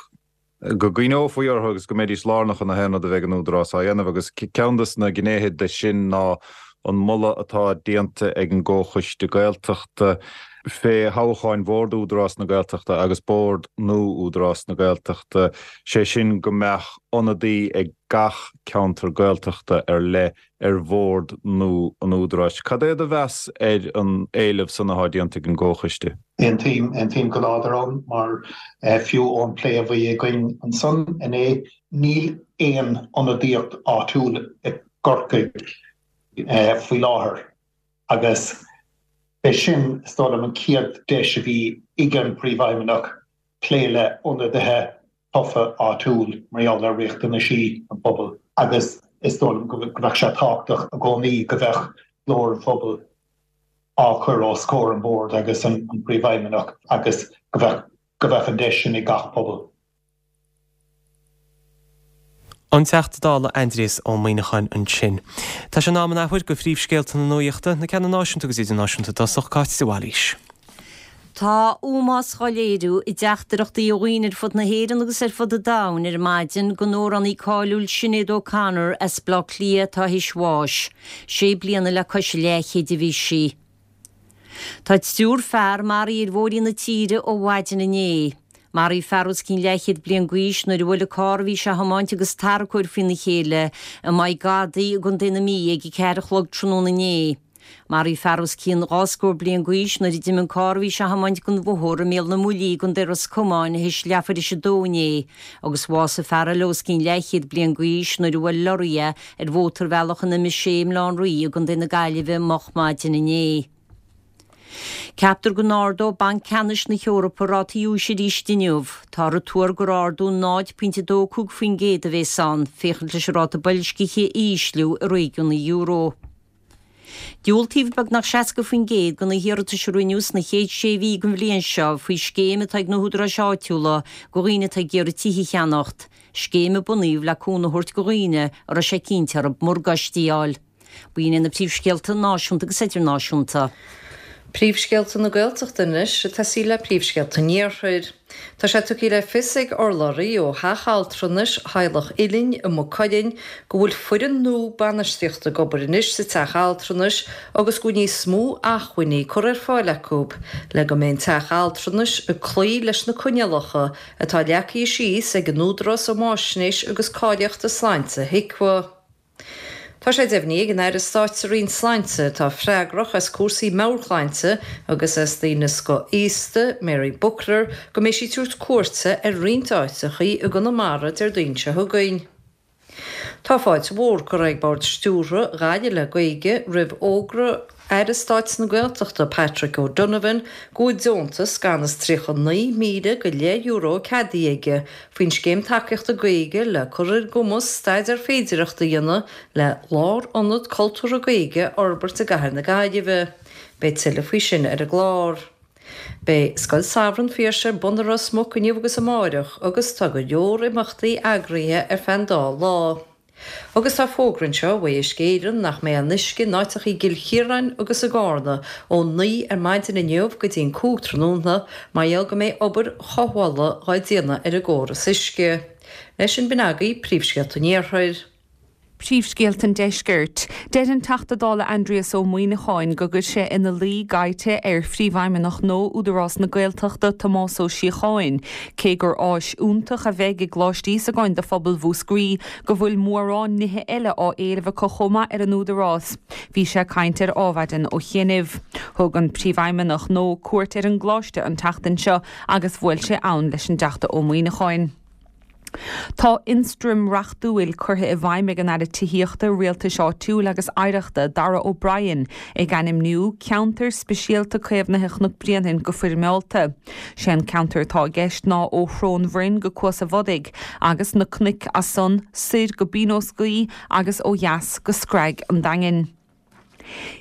go gcuimhneofaí orthu agus go mbeidís lárnach in aon rud a bheidh an Údarás á dhéanamh agus ceann de na gnéithe de sin ná an moladh atá déanta ag an gComhchoiste Gaeltachta fé thoghcháin Bhord Údarás na Gaeltachta agus Bord nua Údarás na Gaeltachta, sé sin go mbeadh ionadaí ag gach ceantar Gaeltachta ar leith ar bhord nua an Údaráis. Cad é do mheas ar an éileamh san atá déanta ag an gComhchoiste? Aontaím, aontaím go láidir ann mar fiú ón plé a bhí againn ansan inné, níl aon ionadaíocht áitiúil i gCorcaigh faoi láthair agus b'é sin, is dóigh liom, an chéad deis a bhí ag an bPríomhfheidhmeannach plé le ionadaithe tofa áitiúil mar gheall ar riachtanaisí an phobail agus is dóigh liom go mbeadh sé tábhachtach i gcónaí go mbeadh glór an phobail á chur os comhair an Bhoird agus an Príomhfheidhmeannach agus go mbeadh go mbeadh an deis sin ag gach pobal. An Teachta Dála Aindrias Ó Muimhneacháin ansin. Tá sé in am an athuair do phríomhscéalta na nuachta, na ceanna náisiúnta agus idirnáisiúnta i dtosach, Cáit de Bhailís. Tá ómós dhá léiriú i dteachtaireachtaí ó dhaoine ar fud na hÉireann agus ar fud an domhain ar maidin don amhránaí cáiliúil Sinéad O'Connor as Baile Átha Cliath atá théis bháis. Sé bliana le cois a leathchéid a bhí sí. Tá triúr fear maraithe ar bhóithrí na tíre ó mhaidin inné. Maraíodh fear os cionn leathchéad bliain d'aois nuair a bhuail an carr a bhí sé a thiomáint agus tarracóir faoina chéile i Maigh Gadaí i gContae na Mí ag a ceathair a chlog tráthnóna inné. Maraíodh fear os cionn dhá scór bliain d'aois nuair a d'imigh an carr a bhí sé a thiomáint den bhóthar i mBéal na mBuillí i gContae Ros Comáin théis leathuair théis a dó inné agus bhásaigh fear eile os cionn leathchéad bliain d'aois nuair a bhuail lorraí é ar mhótarbhealach an M sé i mBaile Átha an Rí i gContae na Gaillimhe moch maidin inné. Ceaptar go n-ardóidh Banc Ceannais na hEorpa rátaí úis arís inniu. Táthar ag tuar gur ardú náid pointe dó cúig faoin gcéad a bhéas ann, féachaint leis an ráta boilscithe a ísliú i réigiún an euro. Diúltaíodh beagnach seasca faoin gcéad de na hiarratais a rinneadh sna chéad sé mhí den bhliain seo faoi scéim atá ag na húdaráis áitiúla do dhaoine atá ag iarraidh tithe a cheannacht, scéim a bunaíodh le cúnamh a thabhairt do dhaoine a raibh sé cinnte orthu morgáistí a fháil. B'in iad na príomhscéalta náisiúnta agus idirnáisiúnta. Príomhscéalta na Gaeltachta anois, ag tosaí le príomhscéalta an Iarthair. Tá sé tugtha le fios ag urlabhraí ó Theach Altranais Theaghlach Uilinn i Maigh Cuilinn go bhfuil foireann nua bainistíochta ag obair anois sa teach altranais agus go bhfuil níos mó acmhainní curtha ar fáil acu le go mbeidh an teach altranais ag cloí leis na coinníollacha atá leagtha síos ag an Údarás um Fháisnéis agus Cáilíochta Sláinte, HIQA. Tá sé deimhnithe ag an Aire Stáit sa Roinn Sláinte atá freagrach as cúrsaí meabhairshláinte agus as daoine scothaosta, Mary Buckler, go mbeidh sí ag tabhairt cuairte ar roinnt áiteachaí i gConamara Déardaoin seo chugainn. Tá fáilte mhór curtha ag Bord Stiúrtha Ghaillimh le Gaeilge roimh fhógra Aire Stáit na Gaeltachta Patrick O'Donovan go bhfuil deontas gan is tríocha naoi míle go leith euro ceadaithe aige faoin Scéim Tacaíochta Gaeilge le cur ar a gcumas staidéar féidireachta a dhéanamh le lárionad cultúrtha Gaeilge a fhorbairt i gcathair na Gaillimhe. Beidh tuilleadh faoi sin ar an gclár. Beidh Scoil Samhraidh an Phiarsaigh ar bun i Ros Muc inniu agus amáireach agus tá go leor imeachtaí eagraithe ar feadh an dá lá. Agus tá fógra anseo ó Uisce Éireann nach mbeidh aon uisce in áiteacha i gCill Chiaráin agus i gCarna ó naoi ar maidin inniu go dtí an cúig tráthnóna mar gheall go mbeidh obair chothabhála dhá déanamh ar an gcóras uisce. Leis sin b'in agaibh príomhscéalta an Iarthair. Príomhscéalta an Deiscirt. Deir an Teachta Dála Aindrias Ó Muimhneacháin go gcuir sé ina luí gaibhte ar Phríomhfheidhmeannach nua Údarás na Gaeltachta Tomás Ó Síocháin, cé gur áis iontach a bheidh i gColáiste Íosagáin do phobal Mhúscraí, go bhfuil mórán nithe eile á éileamh acu chomh maith ar an Údarás. Bhí sé ag caint ar Adhmhaidin ó chianaibh. Thug an Príomhfheidhmeannach nua cuairt ar an gcoláiste an tseachtain seo agus bhuail sé ann leis an dTeachta Ó Muimhneacháin. Tá ionstraim reachtúil curtha i bhfeidhm ag an Aire Tithíochta, Rialtais Áitiúil agus Oidhreachta, Darragh O'Brien, ag ainmniú Ceantar Speisialta Caomhnaithe Chnoc Bréanainn go foirmeálta. Sé an ceantar atá i gceist ná ó Shrón Bhroin go Cuas a' Bhodaigh agus na cnoic as san soir go Bínos Gaoith agus ó dheas go Screig an Daingin.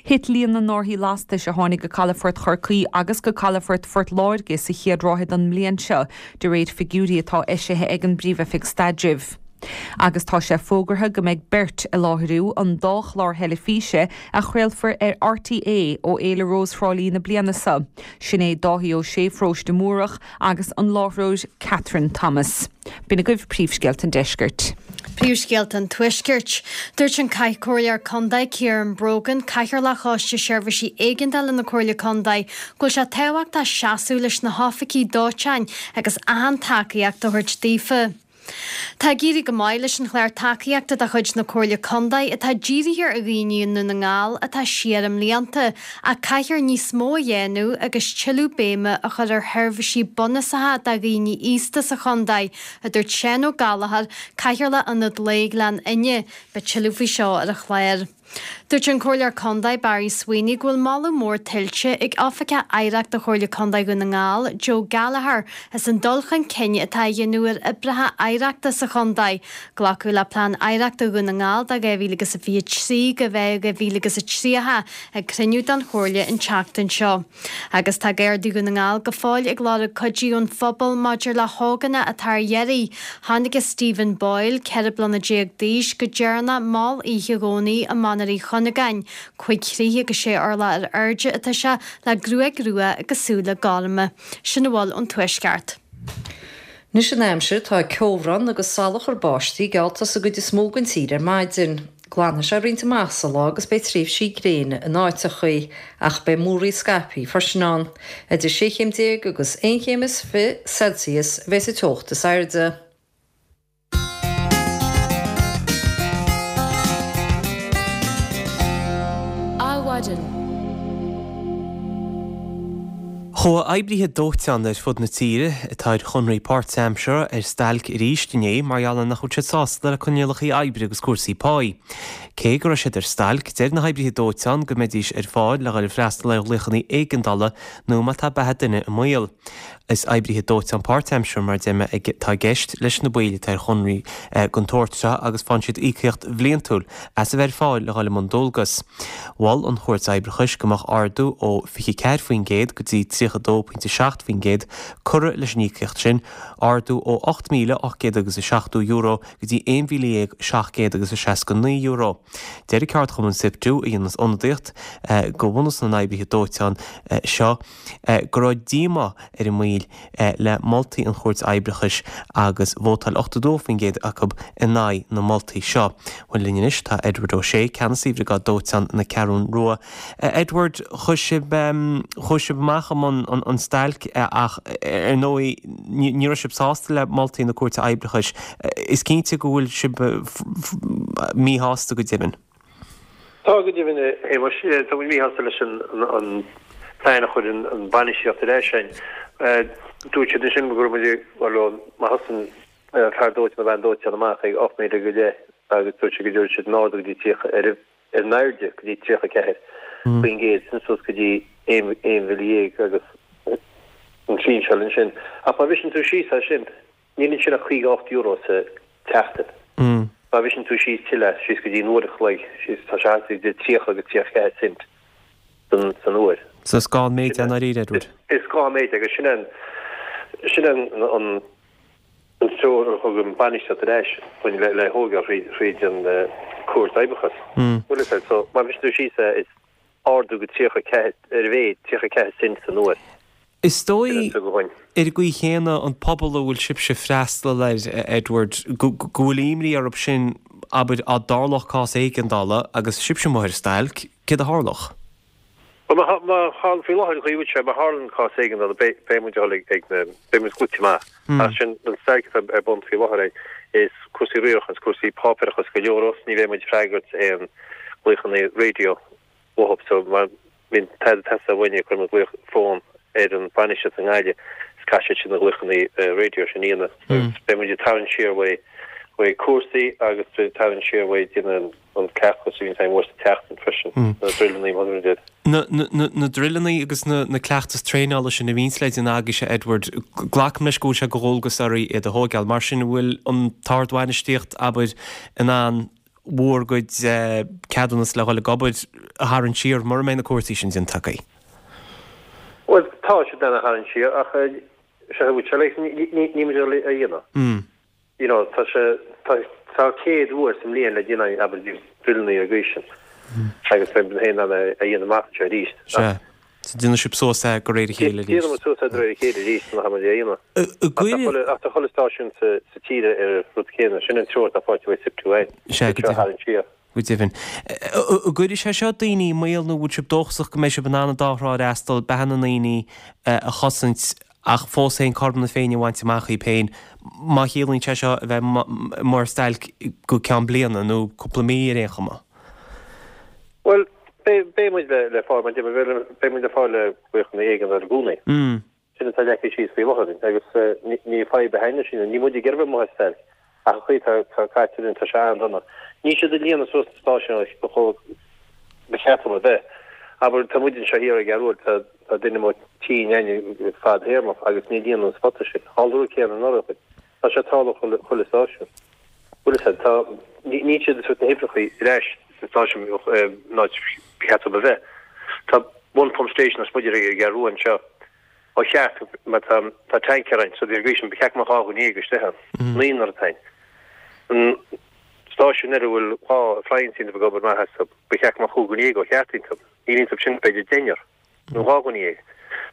Thit líon na n-árthaí lastais a tháinig go calafort Chorcaí agus go calafort Phort Láirge sa chéad ráithe den mbliain seo, de réir figiúirí atá eisithe ag an bPríomh-Oifig Staidrimh. Agus tá sé fógartha go mbeidh beirt ag láithriú an dá chlár theilifíse a chraolfar ar RTÉ ó Fhéile Rós Thrá Lí na bliana seo, sin é Dáithí Ó Sé Pharóiste Múrach agus an láithreoir Kathryn Thomas. B'in agaibh príomhscéalta an deiscirt. Príomhscéalta an Tuaiscirt. Dúirt an Comhairleoir Contae Ciarán Brogan, Cathaoirleach Choiste Seirbhísí Éigeandála na Comhairle Contae, go bhfuil sé tábhachtach seasamh leis na hoifigigh dóiteáin agus achan tacaíocht a thabhairt daofa. Tá ag éirí go maith leis an chlár tacaíochta de chuid na Comhairle Contae atá dírithe ar dhaoine i nDún na nGall atá siar i mblianta ach caithfear níos mó a dhéanamh agus tuilleadh béime a chur ar sheirbhísí bunúsacha do dhaoine aosta sa chontae, a dúirt Seán Ó Gallchóir, Cathaoirleach Ionad Lae Ghleann Fhinne. Beidh tuilleadh faoi seo ar an chlár. Dúirt an Comhairleoir Contae Barry Sweeney go bhfuil moladh mór tuillte ag Oifigeach Oidhreachta Chomhairle Contae Dhún na nGall, Joe Gallagher, as an dul chun cinn atá á dhéanamh ar oibreacha oidhreachta sa chontae. Glacadh le Plean Oidhreachta Dhún na nGall do dhá mhíle agus a fiche trí go dhá mhíle agus a tríocha ag cruinniú den Chomhairle an tseachtain seo. Agus tá Gardaí Dhún na nGall go fóill ag lorg cuidiú ón phobal maidir le hógánach atá ar iarraidh. Thángthas ar Stephen Boyle, ceithre bliana déag d'aois, go deireanach mall oíche Dhomhnaigh i Manar Uí Chuinneagáin. Cúig throigh agus sé orlach ar airde atá sé, le gruaig rua agus súile gorma. Sin a bhfuil ón Tuaisceart. Anois an aimsir, tá ceobhrán agus salachar báistí geallta sa gcuid is mó den tír ar maidin. Glanfaidh sé roinnt amach sa lá agus beidh tréimhsí gréine in áiteachaí, ach beidh múraíl scaipthe freisin ann. Idir sé chéim déag agus aon chéim is fiche Celsius a bheidh sa teocht is airde. Adhmhaidin. Chuaigh oibrithe dóiteáin ar fud na tíre, atá ar chonraí páirtaimseartha, ar stailc arís inné mar gheall ar nach bhfuil siad sásta le coinníollacha oibre agus cúrsaí páí. Cé go raibh siad ar stailc, deir na hoibrithe dóiteáin go mbeidís ar fáil le dhul ag freastal ar ghlaochanna éigeandála nó má tá beatha duine i mbaol. Is oibrithe dóiteáin páirtaimseartha, mar a deir mé, atá i gceist leis na baill atá ar chonraí den tsórt seo agus faigheann siad íocaíocht bhliantúil as a bheith ar fáil le dhul i mbun dualgas. Mhol an Chúirt Oibreachais go mbeadh ardú ó fiche ceathair faoin gcéad go dtí tríocha dó pointe seacht faoin gcéad curtha leis an íocaíocht sin, ardú ó ocht míle ocht gcéad agus a seachtó euro go dtí aon mhíle dhéag seacht gcéad agus a seasca naoi euro. Deir an ceardchumann Siptu, a dhéanas ionadaíocht do bhunús na n-oibrithe dóiteáin seo, go raibh díomá ar a mbaill le moltaí an Chúirt Oibreachais agus vótáil ochtó dó faoin gcéad acu in aghaidh na moltaí seo. Bhuel linn anois tá Edward O'Shea, Ceannasaí Bhriogáid Dóiteáin na Ceathrún Rua. Edward, chuaigh sibh chuaigh sibh amach i mbun an stailc ach ar ndóigh ní raibh sibh sásta le moltaí na Cúirte Oibreachais. Is cinnte go bhfuil sibh míshásta go deimhin. Tá go deimhin, a Shéamais. Tá muid míshásta leis an plean a chuir an bainistíocht ar ais againn. Dúirt siad ansin go raibh muid ag, bhuel, má thosaíonn fear dóiteáin nó bean dóiteáin amach ag ocht míle go leith agus dúirt siad go dtabharfadh siad an ardú go dtí tríocha, ar an airde go dtí tríocha ceathair faoin gcéad, sin suas go dtí aon mhíle dhéag agus an tsinseáil ansin. Ach má bhriseann tú síos é sin, Níl ansin ach caoga ocht euro sa tseachtain. Má bhriseann tú síos tuilleadh, síos go dtí an uair a chloig, síos, tá sé thart idir tríocha agus tríocha ceathair cent san, san uair. So is gá an méid é i ndáiríre, Edward. Is gá an méid é agus sin an, sin an, an, an treoir a thug an bainistíocht ar ais chugainn le, le thógáil thríd, thríd an Cúirt Oibreachais. Bhfuil fhios agat, so má bhriseann tú síos é, is ardú go tríocha ceathair, ar a mhéad, tríocha ceathair cent san uair. Is dóigh, ar an gcaoi chéanna, an pobal a bhfuil sibhse ag freastal air, Edward, go bhfuil imní orthu sin abair, dá dtarlódh cás éigeandála agus sibhse amuigh ar stailc, céard a tharlódh? Bhuel, má má tharla, faoi láthair, an chaoi a bhfuil sé, má tharlann cás éigeandála, beidh beidh muid ag dul ag ag na, beidh muid glaoite amach. Ach sin an stailc atá ar bun faoi láthair é, is cúrsaí riaracháin, is cúrsaí páipéarachais go leor os, ní bheidh muid ag freagairt aon ghlaochanna raidió uathu, so má bhíonn tada ag teastáil uainn, cuireann muid glaoch fón ar an bhainistíocht i nGaillimh is caithfidh siad sin na glaochanna raidió sin a dhéanamh agus beidh muid ag tarraingt siar uaidh uaidh cúrsaí agus beidh ag tarraingt siar uaidh déanamh an cleachtas a bhíonn againn uair sa tseachtain freisin, na druileanna mar a deir. Na na na druileanna agus na na cleachtais traenála sin a bhíonns le déanamh agaibhse Edward, glacaim leis go bhfuil sé de dhualgas oraibh iad a thóigeáil. Mar sin an bhfuil an t-ardbhainistíocht, abair, in ann bhur gcuid ceadúnas le dhul ag obair a tharraingt siar mura mbeidh na cúrsaí sin déanta agaibh? Bhuel, tá siad in ann a tharraingt siar ach sé bhfuil sé like níl muid ag a dhéanamh. You know, tá sé tá tá céad uair sa mbliain le déanamh abair druileanna ar an gcaoi sin agus beidh muid féin in ann a dhéanamh amach anseo arís. Sea. So déanfaidh sibh suas é de réir a chéile arís. Déanfaidh muid suas é de réir a chéile arís má tá muid a dhéanamh. Ach tá chuile stáisiún sa tír ar an rud céanna. Sin an treoir atá faighte uaidh SIPTU againn. Sea, go deimhin. Go deimhin. An gcuirfidh sé seo daoine i mbaol nó bhfuil sibh dóchasach go mbeidh sibh in ann an dá thrá a fhreastal, beatha na ndaoine a chosaint ach fós féin cothrom na Féinne a bhaint amach dhaoib féin, má chiallaíonn sé seo a bheith amuigh ar stailc go ceann bliana nó cúpla mí ar aon chuma? Bhuel, beidh muid le fáil, mar beidh muid le fáil le glaochanna éigeandála i gcónaí. Sin atá leagtha síos faoi láthair agus ní fadhb a thaitneamh sin, níl muid ag iarraidh a bheith amuigh ar stailc. Ach an chaoi atá caite linn, tá sé an-dona. Níl siad ag líonadh suas na stáisiúin chomh ba cheart dóibh a bheith. Abair, tá muid anseo thiar i gCeathrú Rua, tá duine amuigh tinn againn fadthéarmach agus níor líonadh an spota sin. Tharla an rud céanna anuraidh. Tá sé ag tarlú chuile stáisiún. Bhfuil fhios a'd, tá, níl siad ag tabhairt na hoibreacha ar ais sna stáisiúin an áit ba cheart dóibh a bheith. Tá one pump station lasmuigh ar an gCeathrú Rua anseo. Ó cheart, mar tá tá tanker ann, so bhí sin, ba cheart go mbeadh dhá dhuine dhéag istigh ann, naonúr atá ann. An stáisiún eile a bhfuil dhá appliance iontu ag obair maith astu, ba cheart go mbeadh cúig dhuine dhéag ó cheart iontu. Níl iontu sin b'fhéidir deichniúr nó dhá dhuine dhéag.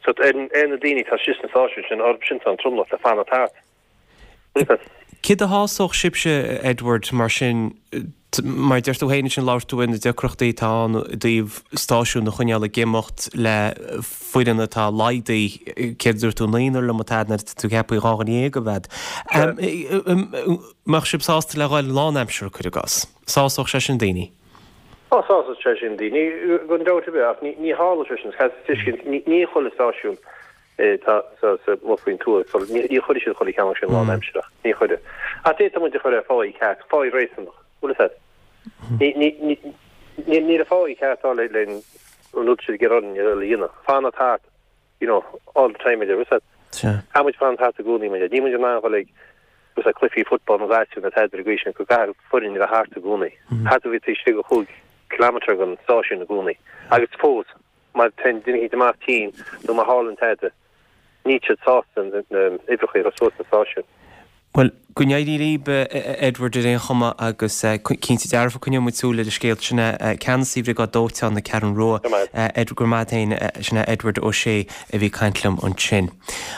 So ar ar na daoine atá istigh sna stáisiúin sin, orthu sin tá an tromlach le fanacht thart. Céard a shásódh sibhse, Edward, mar sin, mar a deir tú féin ansin, labhair tú ar na deacrachtaí atá ann i dtaobh stáisiún a choinneáil ag imeacht le foireann atá laghdaithe, céard a dúirt tú, naonúr liom atá nuair atá tú ceaptha dhá dhuine dhéag a bheith. Mbeadh sibh sásta le dhul lánaimseartha, cuir i gcás? Sásódh sé sin daoine? Á, sásódh sé sin daoine, gan dabht ar bith, ach ní tharlódh sé sin, caithfidh tú tuiscint, ní chuile stáisiún atá amuigh faoin tuath. Ní chuirfidh siad chuile cheann sin lánaimsearach. Ní chuirfidh. Ach d'fhéadfadh muid a chur ar pháí ceart, páí réasúnach. Bhfuil fhios a'd? Níl an pháí ceart á le an rud siad ag iarraidh orainn a dhéanamh. Fanacht thart, you know, all the time, bhfuil fhios a'd? Caithfidh muid fanacht thart i gcónaí, mar níl muid in ann dhul ag bhfuil fhios a'd, cluichí football nó gaisciú nó tada ar an gcaoi sin, go gcaithfidh foireann a bheith thart i gcónaí. Caithfidh tú bheith taobh istigh de chúig kilometre den stáisiún i gcónaí. Agus fós, Má théann duine éicint amach tinn nó má tharlaíonn tada, níl siad sásta na huimhreacha a chur suas sna stáisiúin. Bhuel, go n-éirí libh, a Edward, ar aon chuma agus cinnte dearfa coinneoidh muid súil ar an scéal sin. Ceannasaí Bhriogáid Dóiteáin na Ceathrún Rua, Edward, go raibh maith a't féin, sin é Edward Ó Sé a bhí ag caint liom ansin.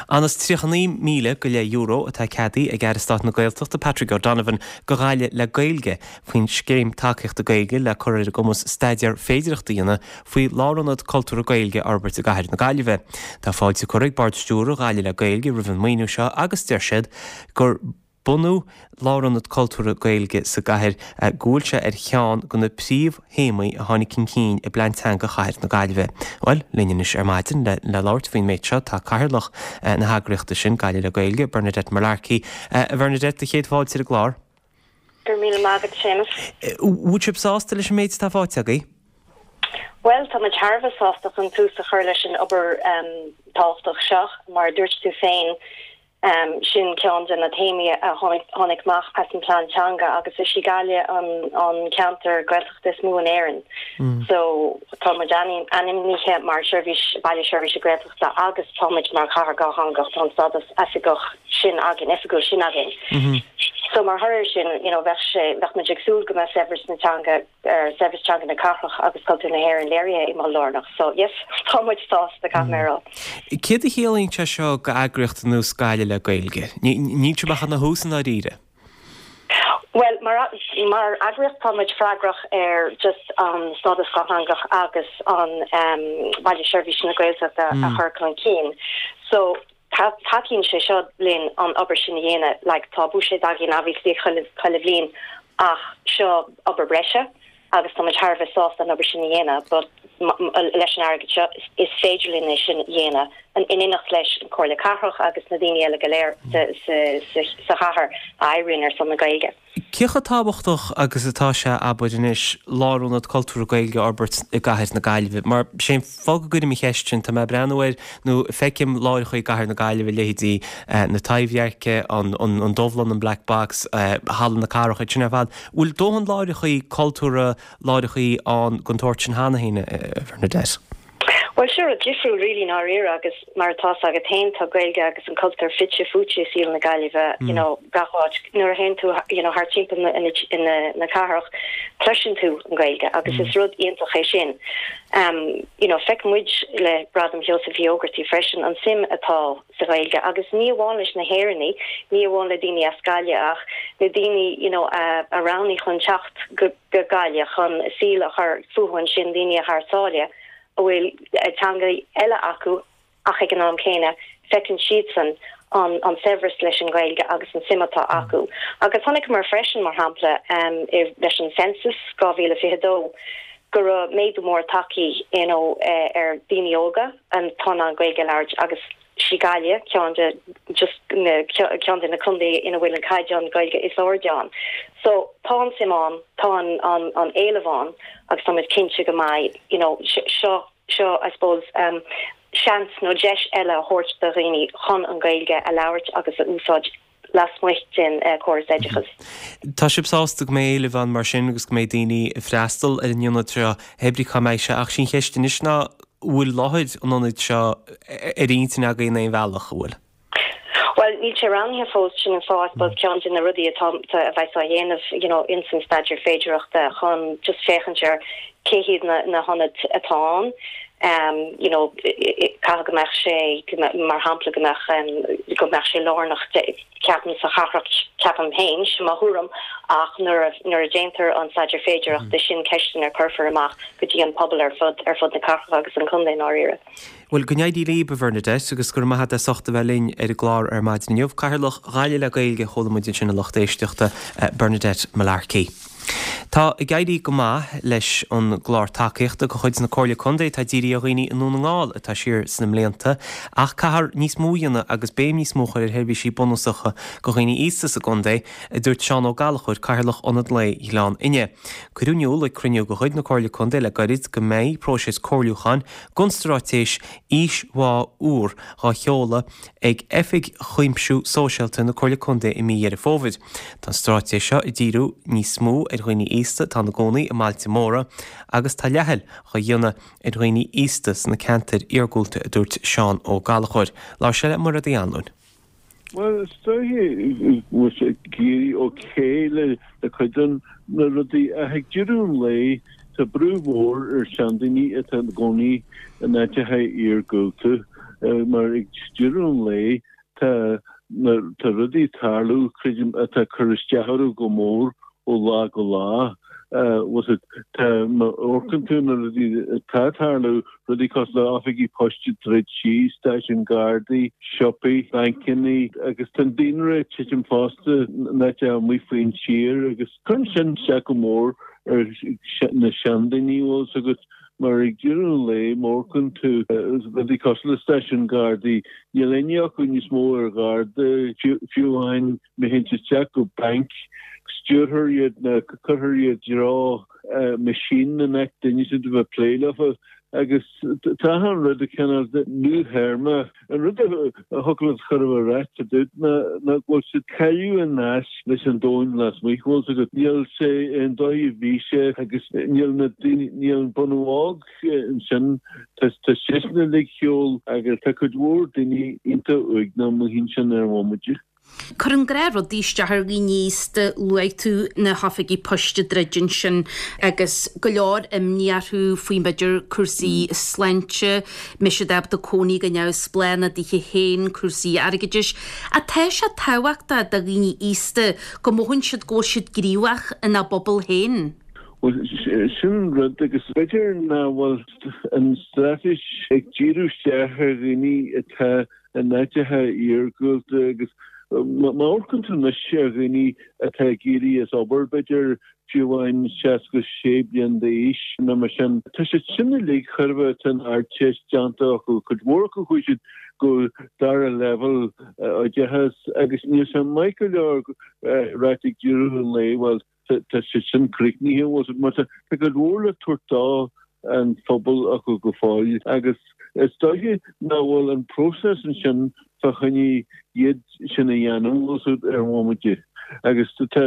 Anuas tríocha naoi míle go leith euro atá ceadaithe ag Aire Stáit na Gaeltachta Patrick O'Donovan do Ghaillimh le Gaeilge faoin Scéim Tacaíochta Gaeilge le cur ar a gcumas staidéar féidearthachta a dhéanamh faoi Lárionad Cultúrtha Gaeilge a fhorbairt i gcathair na Gaillimhe. Tá fáilte curtha ag Bord Stiúrtha Ghaillimh le Gaeilge roimh an maoiniú seo agus deir siad gur bunú Lárionad Cultúrtha Gaeilge sa gcathair go bhfuil sé ar cheann de na príomhthéamaí a tháinig chun cinn i bPlean Teanga Chathair na Gaillimhe. Bhuel, linn anois ar maidin le le labhairt faoin méid seo tá Cathaoirleach na heagraíochta sin, Gaillimh le Gaeilge, Bernadette Mullarkey. A Bhernadette, do chéad fáilte ar an gclár. Go raibh míle maith agat, Séamus. Bhfuil sibh sásta leis an méid atá faighte agaibh? Bhuel, tá muid thar a bheith sásta chun tús a chur leis an obair tábhachtach seo. Mar a dúirt tú féin, sin ceann de na téamaí a tháinig amach as an bplean teanga agus is í Gaillimh an ceantar Gaeltachta is mó in Éirinn. So, tá muid ainmnithe mar sheirbhís, baile seirbhíse Gaeltachta agus tá muid mar chathair dhátheangach, tá an stádas oifigeach sin againn, oifigiúil sin againn. So, mar thoradh air sin, you know, bheadh sé, bheadh muid ag súil go mbeadh saibhreas na teanga, ar saibhreas teanga na cathrach agus cultúr na hÉireann léirithe i mol lárnach. So, yes, tá muid sásta, caithfidh mé a rá. Céard a chiallaíonn sé seo d'eagraíocht ar nós Gaillimh le Gaeilge? Níl sibh ach ina thús i ndáiríre. Well, mar mar eagraíocht tá muid freagrach ar just an stádas dátheangach agus an um, Baile Seirbhíse na Gaeltachta mm. a chur chun cinn. So tacaíonn sé seo linn an obair sin a dhéanamh, like tá buiséad againn obviously chuile chuile bhliain ach seo obair breise agus tá muid thar a bheith sásta an obair sin a dhéanamh, but leis an airgead seo is féidir linn é sin a dhéanamh in éineacht leis an Comhairle Cathrach agus na daoine eile go léir sa chathair a oibríonn ar son na Gaeilge. Cé chomh tábhachtach agus atá sé, abair anois, lárionad cultúrtha Gaeilge a fhorbairt i gcathair na Gaillimhe? Mar sé an fáth go gcuirim an cheist sin, tá mé ag breathnú air nó feicim láithreacha i gcathair na Gaillimhe, leithéidí na Taibhdheirce, an Dubhlann, an Black Box, Halla na Cathrach, iad sin ar fad. Bhfuil dóthain láithreacha cultúrtha, láithreacha ann den tsórt sin cheana féin, a Bhernadette? Bhuel, seo rud difriúil really i ndáiríre agus mar atá 's agat féin tá Gaeilge agus an cultúr fite fuaite i saol na Gaillimhe, you know, gach áit. Nuair a théann tú, you know, thart timpeall na, na, na cathrach, cloiseann tú an Ghaeilge agus is rud iontach é sin. Um, you know, feiceann muid le Gradam Sheosaimh Uí Ógartaigh freisin an suim atá sa Ghaeilge agus ní amháin leis na hÉireannaigh, ní amháin le daoine as Gaillimh ach na daoine, you know, a, a roghnaigh chun teacht go, go Gaillimh chun a saol a chur fúthu ansin, daoine thar sáile. a bhfuil teanga eile acu ach ag an am céanna feiceann siadsan an an saibhreas leis an Ghaeilge agus an suim atá acu. Agus chonaiceamar freisin, mar shampla, leis an census dhá mhíle fiche dó go raibh méadú mór tagtha you know ar daoine óga atá in ann Gaeilge a labhairt agus sí Gaillimh ceann de just na ceann de na contaetha ina bhfuil an caighdeán Gaeilge is airde ann. So tá an suim ann, tá an an an éileamh ann agus tá muid cinnte go mbeidh you know seo seo I suppose um seans nó deis eile a thabhairt do dhaoine chun an Ghaeilge a labhairt agus a úsáid lasmuigh den córas oideachais. Tá sibh sásta go mbeidh éileamh ann mar sin agus go mbeidh daoine ag freastal ar an ionad seo, pé brí cá mbeidh sé, ach sí an cheist anois ná bhfuil láthair an ionaid seo ar intinn agaibh in aon bhealach, an bhfuil? Bhuel, níl sé roghnaithe fós, sin an fáth, I suppose, ceann de na rudaí atá, a bheas á dhéanamh, you know, ins an staidéar féidearthachta chun just féachaint ar cé hiad na, na hionaid atá ann, um, you know, caithfidh go mbeadh sé, mar shampla, go mbeadh, um, go mbeadh sé lárnach, ceapaim, sa chathrach, ceapaim féin, sin mo thuairim, ach nuair a, nuair a déantar an staidéar féidearthachta, sin ceisteanna a cuirfear amach go dtí an pobal ar fud, ar fud na cathrach agus an chontae i ndáiríre. Bhuel, go n-éirí libh, a Bhernadette, agus go raibh maith agat as ucht a bheith linn ar an gclár ar maidin inniu. Cathaoirleach Ghaillimh le Gaeilge a chuala muid ansin a lucht éisteachta, Bernadette Mullarkey. Tá ag éirí go maith leis an gclár tacaíochta de chuid na Comhairle Contae atá dírithe ar dhaoine i nDún na nGall atá siar sna mblianta ach caithfear níos mó a dhéanamh agus béim níos mó a chur ar sheirbhísí bunúsacha do dhaoine aosta sa gcontae, a dúirt Seán Ó Gallchóir, Cathaoirleach Ionad Lae Ghleann Fhinne. Cuireadh in iúl ag cruinniú de chuid na Comhairle Contae le gairid go mbeidh próiseas comhairliúcháin don straitéis Aois Mhaith úr dhá sheoladh ag Oifig Chuimsiú Sóisialta na Comhairle Contae i mí Dheireadh Fómhair. Tá an straitéis seo ag díriú níos mó ar dhaoine aosta atá ina gcónaí i mbailte móra agus tá leathfhoill dhá dhéanamh ar dhaoine aosta sna ceantair iargúlta, a dúirt Seán Ó Gallchóir. Labhair sé le Mairéad Uí Anluain. Bhuel, is dóiche go bhfuil sé ag éirí ok le cuid de na rudaí ach ag deireadh an lae tá brú mhór ar seandaoine atá ina gcónaí in áiteacha iargúlta mar ag deireadh an lae tá tá rudaí ag tarlú, creidim, atá ag cur isteach orthu go mór ó lá go lá. Bhfuil 's agat, tá, má amharcann tú na rudaí atá ag tarlú, rudaí cosúil le oifigí poist ag druid síos, stáisiúin Gardaí, siopaí, bancannaí, agus tá an daonra ag titim fosta in áiteacha amuigh faoin tír agus cuireann sin isteach go mór ar na seandaoine, bhfuil 's agat, mar ag deireadh an lae, má amharcann tú rudaí cosúil le stáisiún Gardaí, níl éinne acu níos mó ar gharda, fiú amháin má théann tú isteach go banc, stiúrthar iad nó cuirthear iad i dtreo machine in áit duine a bheith ag plé leofa agus tá achan rud ag cineál nuathéarma. An rud a thiocfadh leat chur a ráit fá dtaobh ná go bhfuil siad cailleadh an nasc leis an domhan lasmuigh, bhfuil 's agat. Níl sé an dóigh a bhí sé agus níl na daoine, níl an bunadh óg ansin, tá seisean uilig ar shiúl agus tá cuid mhór daoine iontach uaigneach amuigh ansin ar an bhomaite. Cuireann gnáthrudaí isteach ar dhaoine aosta, luaigh tú na hoifigí poist ag druid ansin agus go leor imní orthu faoi b'fhéidir cúrsaí sláinte, mbeidh siad ábalta cónaí go neamhspleách ina dtithe féin, cúrsaí airgeadais. Ach tá sé tábhachtach do dhaoine aosta go mothaíonn siad go bhfuil siad gníomhach ina bpobal féin. Bhuel, sin an rud agus b'fhéidir nach bhfuil an straitéis ag díriú isteach ar dhaoine atá in áiteacha iargúlta agus má amharcann tú anois ar dhaoine atá ag éirí as obair, b'fhéidir fiú amháin seasca sé bliain d'aois nó mar sin, tá siad sin uilig chóir a bheith, tá an Ardteist déanta acu, cuid mhór acu chuaigh siad go dara leibhéal oideachais agus níl sé maith go leor ráit ag deireadh an lae, bhuel, tá siad sin críochnaithe, bhuel, mar tá cuid mhór le tabhairt do an phobal acu go fóill agus is dóiche nach bhfuil an próiseas ansin fá choinne iad sin a dhéanamh ar an bhomaite agus tá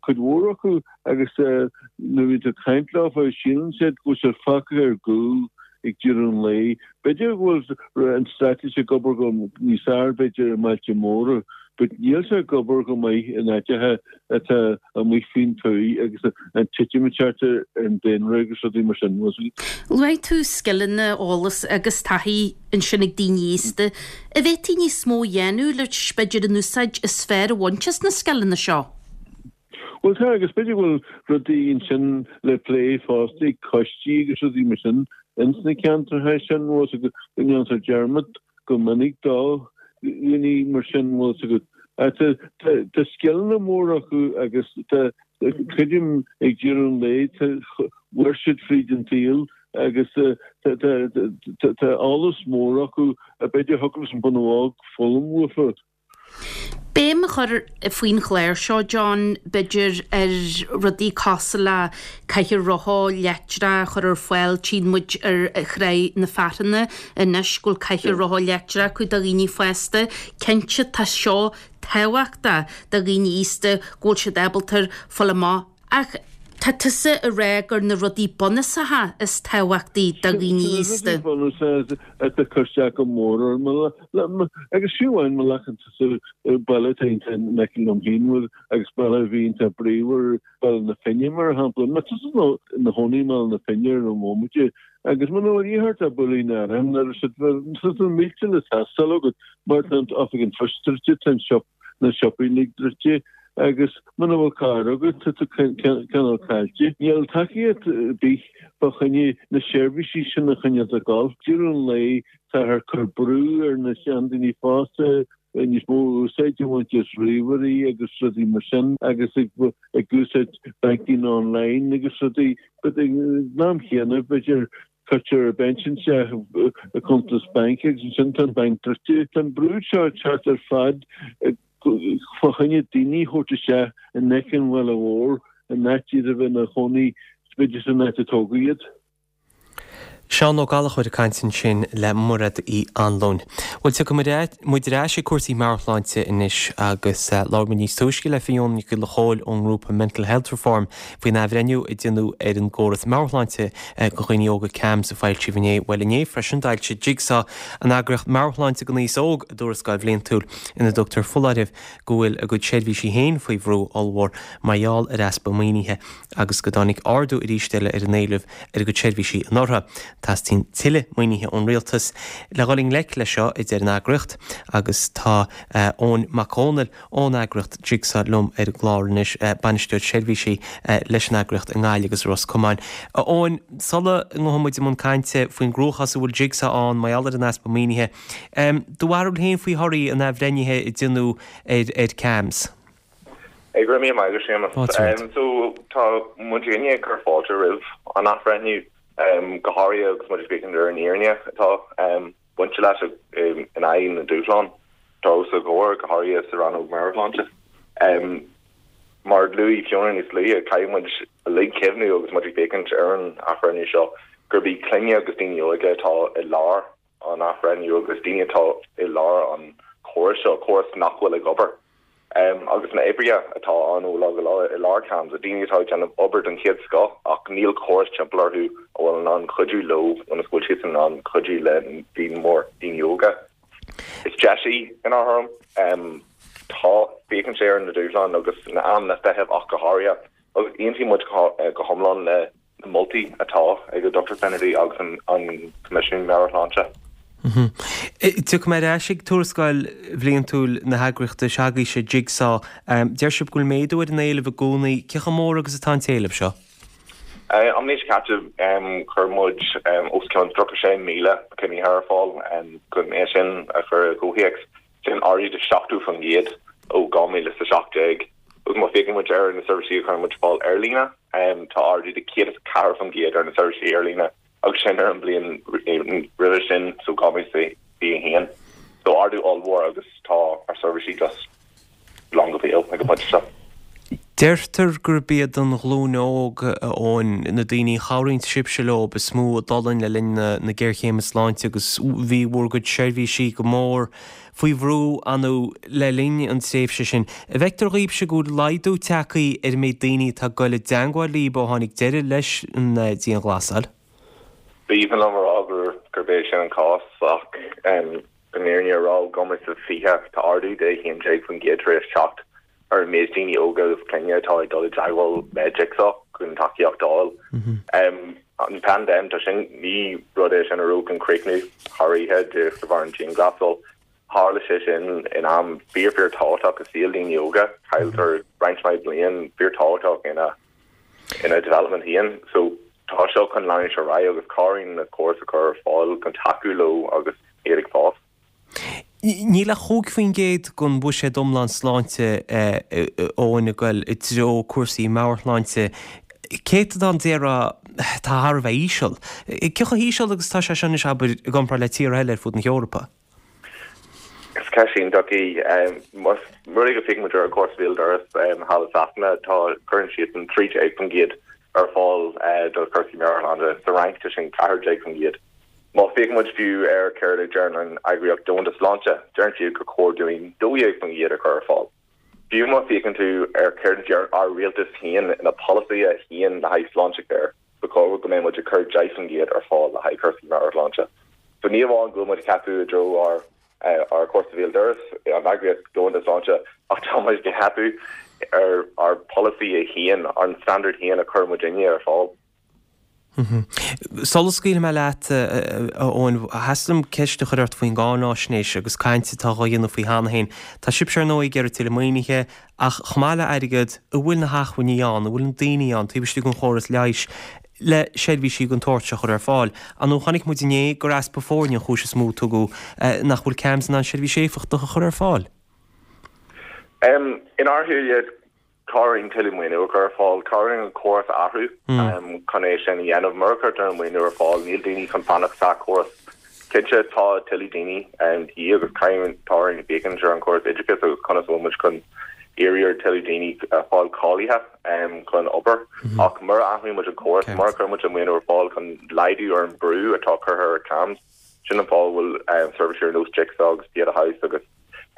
cuid mhór acu agus nuair a bhíonn tú ag caint leofa síleann siad go bhfuil siad fágtha ar gcúl ag deireadh an lae. B'fhéidir go bhfuil an straitéis ag obair go níos fearr b'fhéidir i mbailte móra but níl sé ag obair go maith in áiteacha atá amuigh faoin tuath agus an titim ag teacht ar an daonra agus rudaí mar sin. Luaigh tú scileanna, eolas agus taithí ansin ag daoine aosta. An bhféadfaí níos mó a dhéanamh leis, b'fhéidir an úsáid is fearr a bhaint as na scileanna seo? Bhuel tá, agus b'fhéidir go bhfuil rudaí ansin le plé fosta ag coistí agus rudaí mar sin ins na ceantracha sin, bhfuil 's agat, go ndéantar dearmad go minic do dhaoine mar sin, bhfuil 's agat. Tá tá scileanna móra acu agus tá, creidim ag deireadh an lae, tá, mhair siad fríd an tsaol agus tá tá tá eolas mór acu a b'fhéidir thiocfadh leis an bunadh óg foghlaim uafa. Béim a chur faoin chlár seo, John, b'fhéidir, ar rudaí cosúil le cathaoir rotha leictreach a chur ar fáil. Tchíonn muid ar Thráigh na Fearthanna anois go bhfuil cathaoir rotha leictreach acu do dhaoine fásta. Cinnte, tá seo tábhachtach do dhaoine aosta go bhfuil siad ábalta fáil amach Ach tá tusa ag rá gur na rudaí bunúsacha is tábhachtaí do dhaoine aosta. Sin na rudaí bunúsacha atá ag cur isteach go mór orm. Agus fiú amháin má ghlacann tusa baile atá iontach in aice liom féin agus baile a bhí iontach bríomhar, Baile na Finne mar shampla. Má tá tusa ina chónaí i mBaile na Finne ar an bhomaite agus muna bhfuil a dhíth ort ach buailín aráin nuair tá na mílte le teastáil agat mar tá an oifig an phoist druidte, tá an siopa na siopaí uilig druidte agus muna bhfuil carr agat tá tú cineál caillte. Níl tacaíocht ar bith fá choinne na seirbhísí sin a choinneáil ag dul. Deireadh an lae táthar ag cur brú ar na seandaoine fosta níos mó úsáid a bhaint as ríomhairí agus rudaí mar sin agus ag úsáid banking online agus rudaí but ag an am chéanna b'fhéidir Cuirtear a bpensean isteach i cuntas bainc agus ansin tá an banc druidte. Tá an brú seo ag teacht ar fad fá choinne daoine a thabhairt isteach in aice an bhaile mhóir, in áit iad a bheith ina chónaí b'fhéidir san áit a tógadh iad. Seán Ó Gallchóir ag caint ansin le Mairéad Uí Anluain. Bhuel, tiocfaidh muid ar ais ag cúrsaí meabhairshláinte anois agus labhair muid níos túisce le Fiona Nic Giolla Chóill ón ngrúpa Mental Health Reform faoin athbhreithniú a déanadh ar an gcóras meabhairshláinte do dhaoine óga CAMHS a foilsíodh inné. Bhuel inné freisin d'fhoilsigh Jigsaw, an eagraíocht meabhairshláinte don aos óg, a dtuarascáil bhliantúil ina dtugtar foláireamh go bhfuil a gcuid seirbhísí féin faoi bhrú ollmhór mar gheall ar easpa maoinithe agus go dtáinig ardú arís eile ar an éileamh ar a gcuid seirbhísí anuraidh. Teastaíonn tuilleadh maoinithe ón rialtas le dhul i ngleic leis seo, a deir an eagraíocht agus tá Eoin Mac Dhónaill ón eagraíocht Jigsaw liom ar an gclár anois, Bainisteoir Seirbhísí leis an eagraíocht i nGaillimh agus i Ros Comáin. A Eoin, sula ngabhfaidh muid i mbun cainte faoin gcruachás a bhfuil Jigsaw ann mar gheall ar an easpa maoinithe, do bharúil féin faoi thorthaí an athbhreithnithe a déanadh ar CAMHS? Go raibh míle maith agat, Séamus. So, tá muidinne ag cur fáilte roimh an athbhreithniú, go háirithe agus muid ag féachaint ar an fhírinne atá bainte leis in aghaidh na dúshlán atá os ár gcomhair, go háirithe sa rannóg meabhairshláinte. Mar a luaigh Fiona níos luaithe, caithfidh muid uilig cuimhniú agus muid ag féachaint ar an athbhreithniú seo gurb iad clainne agus daoine óga atá i lár an athbhreithniú agus daoine atá i lár an chórais seo, córas nach bhfuil ag obair. Agus na oibrithe atá ann ó lá go lá i lár CAMHS, daoine atá ag déanamh obair den chéad scoth ach níl córas timpeall orthu a bhfuil in ann cuidiú leo ionas go bhfuil siadsan in ann cuidiú le líon mór daoine óga. Is deis í inár thuairim. Tá Féachann sé ar na dúshláin agus na amanna feithimh ach go háirithe, agus aontaíonn muid go hiomlán le na moltaí atá ag an Dochtúir Finnerty agus an Coimisiún Meabhair-Shláinte. Tiocfaidh mé ar ais ag tuarascáil bhliantúil na heagraíochta s'agaibhse, Jigsaw. Deir sibh go bhfuil méadú ar an éileamh i gcónaí. Cé chomh mór agus atá an t-éileamh seo? An mhí seo caite, chuir muid os cionn tríocha sé míle cruinnithe ar fáil. Chun é sin a chur i gcomhthéacs, sin ardú de seachtó faoin gcéad ó dhá mhíle is a seacht déag. Agus má féachann muid ar na seirbhísí a chuireann muid ar fáil ar líne, tá ardú de céad is ceathair faoin gcéad ar na seirbhísí ar líne. Agus sin ar an mbliain roimhe sin, so dhá mhíle is fiche a haon. So ardú ollmhór agus tá ár seirbhísí just lán go béal ag an bpointe seo. Deirtear gurb iad an ghlúin óg, a Eoin, na daoine a chabhraíonn sibhse leo is mó a d'fhulaing le linn na géarchéime sláinte agus bhí bhur gcuid seirbhísí go mór faoi bhrú ann le linn an tréimhse sin. An bhfeictear dhaoibhse go bhfuil laghdú tagtha ar an méid daoine atá ag goil i dteangmháil libh ó tháinig deireadh leis an dianghlasáil? B'aoibhinn liom a rá gurb é sin an cás ach an fhírinne a rá, dhá mhíle is fiche, tá ardú de a haon déag faoin gcéad tar éis teacht ar an méid daoine óga agus clainne atá ag dul i dteagmháil le Jigsaw chun tacaíocht a fháil. An paindéim, tá sin, ní rud é sin a raibh chun críochnú thar oíche de bharr an dianghlasáil. Tharla sé sin in am fíor fíor tábhachtach i saol daoine óga, cailltear roinnt mhaith bliain fíor tábhachtach ina ina development féin. So tá seo chun leanúint ar aghaidh agus caithfidh orainn na córais a chur ar fáil chun tacú leo agus iad ag fás. Níl ach cúig faoin gcéad den bhuiséad iomlán sláinte, Eoin, ag goil i dtreo cúrsaí meabhairshláinte. Céatadán déarfá atá thar a bheith íseal. Cé chomh híseal agus atá sé seo anois, abair, i gcomparáid le tíortha eile ar fud na hEorpa? Is ceist iontach í. Más rud é go bhféachann muid ar an gcóras béal dorais thall i Sasana, tá, cuireann siadsan trí déag faoin gcéad ar fáil do chúrsaí meabhairshláinte. Sa Fhrainc tá sin ceathair déag faoin gcéad. Má féachann muid fiú ar céard a deireann an Eagraíocht Domhanda Sláinte, deireann siad gur chóir dúinn dó dhéag faoin gcéad a chur ar fáil. Fiú má féachann tú ar céard a deir ár rialtas féin ina polasaithe féin le haghaidh Sláintecare, ba chóir go mbeidh muid ag cur deich faoin gcéad ar fáil le haghaidh cúrsaí meabhairshláinte. So ní amháin go bhfuil muid ag teipeadh i dtreo ár ár cúrsa béal dorais, an Eagraíocht Domhanda Sláinte, ach tá muid ag teipeadh ar ár polasaí féin, an standard féin a chuir muidinne ar fáil. Sula scaoilfidh mé leat, a Eoin, theastaigh liom ceist a chur ort faoin gcáináisnéis agus caint atá á dhéanamh faoi cheana féin. Tá sibhse ar ndóigh ag iarraidh tuilleadh maoinithe, ach chomh maith le airgead, an bhfuil na hacmhainní ann, an bhfuil na daoine ann taobh istigh den chóras leighis le seirbhísí den tsórt seo a chur ar fáil? Ar ndóigh chonaic muid inné gur easpa foirne an chúis is mó a tugadh nach bhfuil CAMHS in ann seirbhís éifeachtach a chur ar fáil. Inár shúile, tá orainn tuilleadh maoiniú a chur ar fáil. Tá orainn an córas a athrú chun é sin a dhéanamh. Mura gcuirtear an maoiniú ar fáil, níl daoine chun fanacht sa chóras. Cinnte, tá tuilleadh daoine de dhíth agus caithfidh, tá orainn féachaint ar an chóras oideachais agus conas a bhfuil muid chun iarraidh ar tuilleadh daoine fáil cáilithe chun obair. Ach mura athraíonn muid an córas, mura gcuireann muid an maoiniú ar fáil chun laghdú ar an brú atá curtha ar CAMHS, sin an fáth a bhfuil seirbhísí ar nós Jigsaw agus Pieta House agus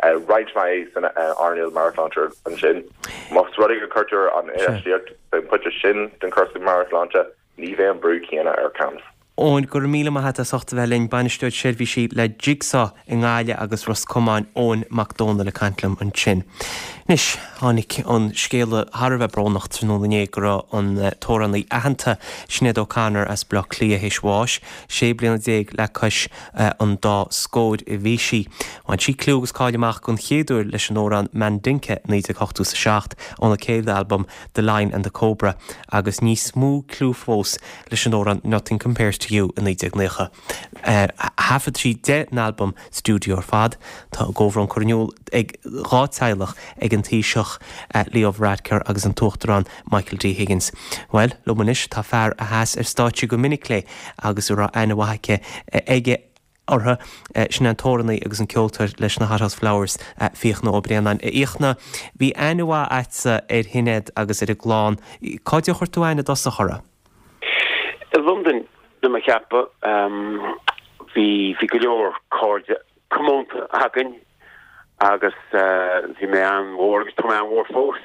roinnt mhaith san earnáil meabhairshláinte ansin. Más rud é go gcuirtear an infheistíocht san phointe sin den chúrsa meabhairshláinte, ní bheidh an brú céanna ar CAMHS. Eoin, go raibh míle maith agat as ucht a bheith linn. Bainisteoir Seirbhísí le Jigsaw i nGaillimh agus Ros Comáin, Eoin Mac Dónaill ag caint liom ansin. Anois, tháinig an scéala thar a bheith brónach tráthnóna inné go raibh an t-amhránaí aitheanta Sinéad O'Connor as Baile Átha Cliath théis bháis. Sé bliana déag le cois an dá scóir a bhí sí. Bhain sí cliú agus cáil amach don chéad uair leis an amhrán Mandinka naoi déag ochtó is a seacht óna céad albam The Lion and the Cobra agus níos mó cliú fós leis an amhrán Nothing Compares to You i naoi déag naocha. Thaifead sí deich n-albam stiúideo ar fad. Tá a gcomhbhrón curtha in iúl ag dhá teaghlach, ag an Taoiseach Leo Varadkar agus an tUachtarán Michael D Higgins. Bhuel, liom anois tá fear a sheas ar stáitse go minic léi agus a raibh aithne mhaith aici, aige uirthi, sin an t-amhránaí agus an ceoltóir leis na Hothouse Flowers, Fiachna Ó Braonáin. A Fhiachna, bhí aithne mhaith agatsa ar Shinéad agus ar a gclann. Cá dtig a chuir tú aithne i dtosach uirthi? I Londain, do mo cheapadh. Bhí, bhí go leor cairde comónta againn agus bhí mé an-mhór agus tá mé an-mhór fós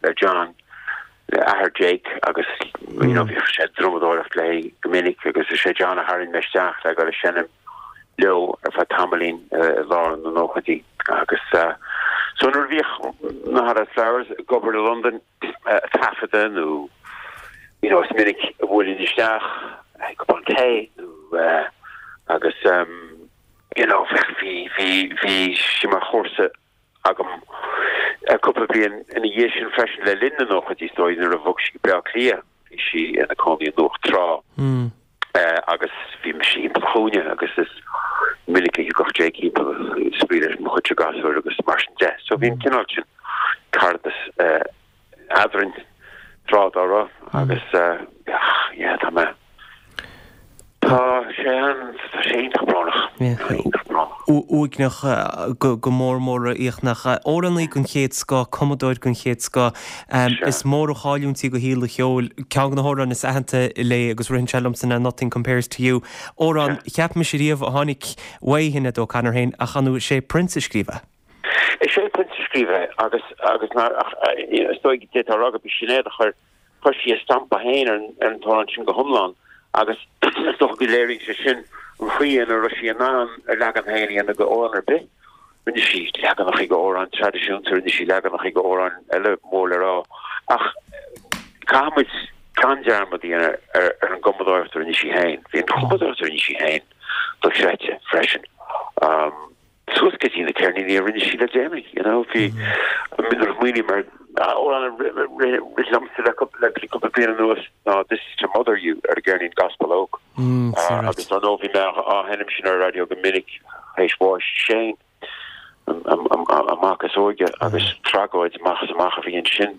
le John, le athair Jake agus you know bhí sé ag drumadóireacht léi go minic agus is é John a tharraing mé isteach le dhul ag seinm leo ar feadh tamaillín i lár na nóchaidí agus So nuair a bhíodh na Hothouse Flowers ag obair i Londain ag taifeadadh nó you know is minic a bhuailinn isteach ag cupán tae nó agus you know bhí bhí bhí sí mar chomharsa agam cúpla bliain ina dhiaidh sin freisin le linn na nóchaidí is dóigh nuair a bhog sí go Bleá Cliath bhí sí ina cónaí i nDumhach Trá agus bhí mise thimpeall an chúinne agus is minic a thigeadh Jake thimpeall ag spraoi leis mo chuidse gasúir agus mar sin de. So bhí an cineál sin caradas eadrainn tráth dá raibh agus yeah tá mé Tá sé an, tá sé iontach brónach. Iontach brónach. Uaigneach go mór mór a Fhiachna. Amhránaí den chéad scoth, cumadóir den chéad scoth. Is mór an chailliúint í do shaol an cheoil. Ceann de na hamhráin is aitheanta léi agus ritheann sé liomsa ná Nothing Compares to You. Amhrán, cheap mise riamh a tháinig uaidh Shinéad O'Connor féin ach ar ndóigh is é Prince a scríobh é. Is é Prince a scríobh é agus agus is dóigh d'fhéadfá a rá gurb í Sinéad a chuir Chuir sí a stampa féin ar an t-amhrán sin go hiomlán agus is dócha go léiríonn sé sin an chaoi ina raibh sí in ann a leagan féin a dhéanamh d'amhrán ar bith. Rinne sí leaganacha d'amhráin traidisiúnta, rinne sí leaganacha d'amhráin eile mór le rá ach caithfidh muid gan dearmad a dhéanamh ar an gcumadóireacht a rinne sí féin. Bhí an chumadóireacht a rinne sí féin dochreidte freisin. suas go dtí na ceirníní a rinne sí le déanaí, you know, bhí nuair a smaoiním ar amhrán a rith liomsa le cúpla bliain anuas ná This is to Mother You ar an gceirnín Gospel Oak. Agus ar ndóigh bhí mé á sheinm sin ar an raidió go minic théis bháis Shane, an mac is óige, agus tragóid amach is amach a bhí ansin.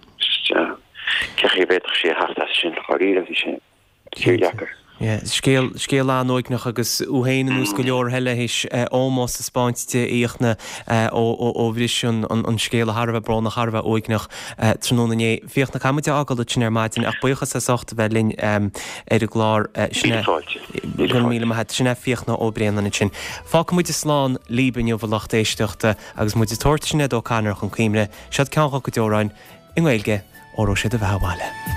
Cé chaoi a bhféadfadh sí a theacht as sin, dháiríre, bhí sé. Fíordheacair. Scéal, scéal an-uaigneach agus thú féin ar nós go leor eile théis ómós a 'speáint di a Fhiachna ó bhris an scéal thar a bheith brónach, thar a bheith uaigneach tráthnóna inné. Fiachna, caithfidh muid a fhágáil ansin ar maidin ach buíochas as ucht a bheith linn ar an gclár. Sin é. Míle fáilte. Míle Go raibh míle maith agat. Sin é Fiachna Ó Braonáin ansin. Fágfaidh muid slán libh inniu a lucht éisteachta agus muid ag tabhairt Sinéad O'Connor chun cuimhne. Seod ceann dá cuid amhráin i nGaeilge, Óró Sé do Bheatha Abhaile.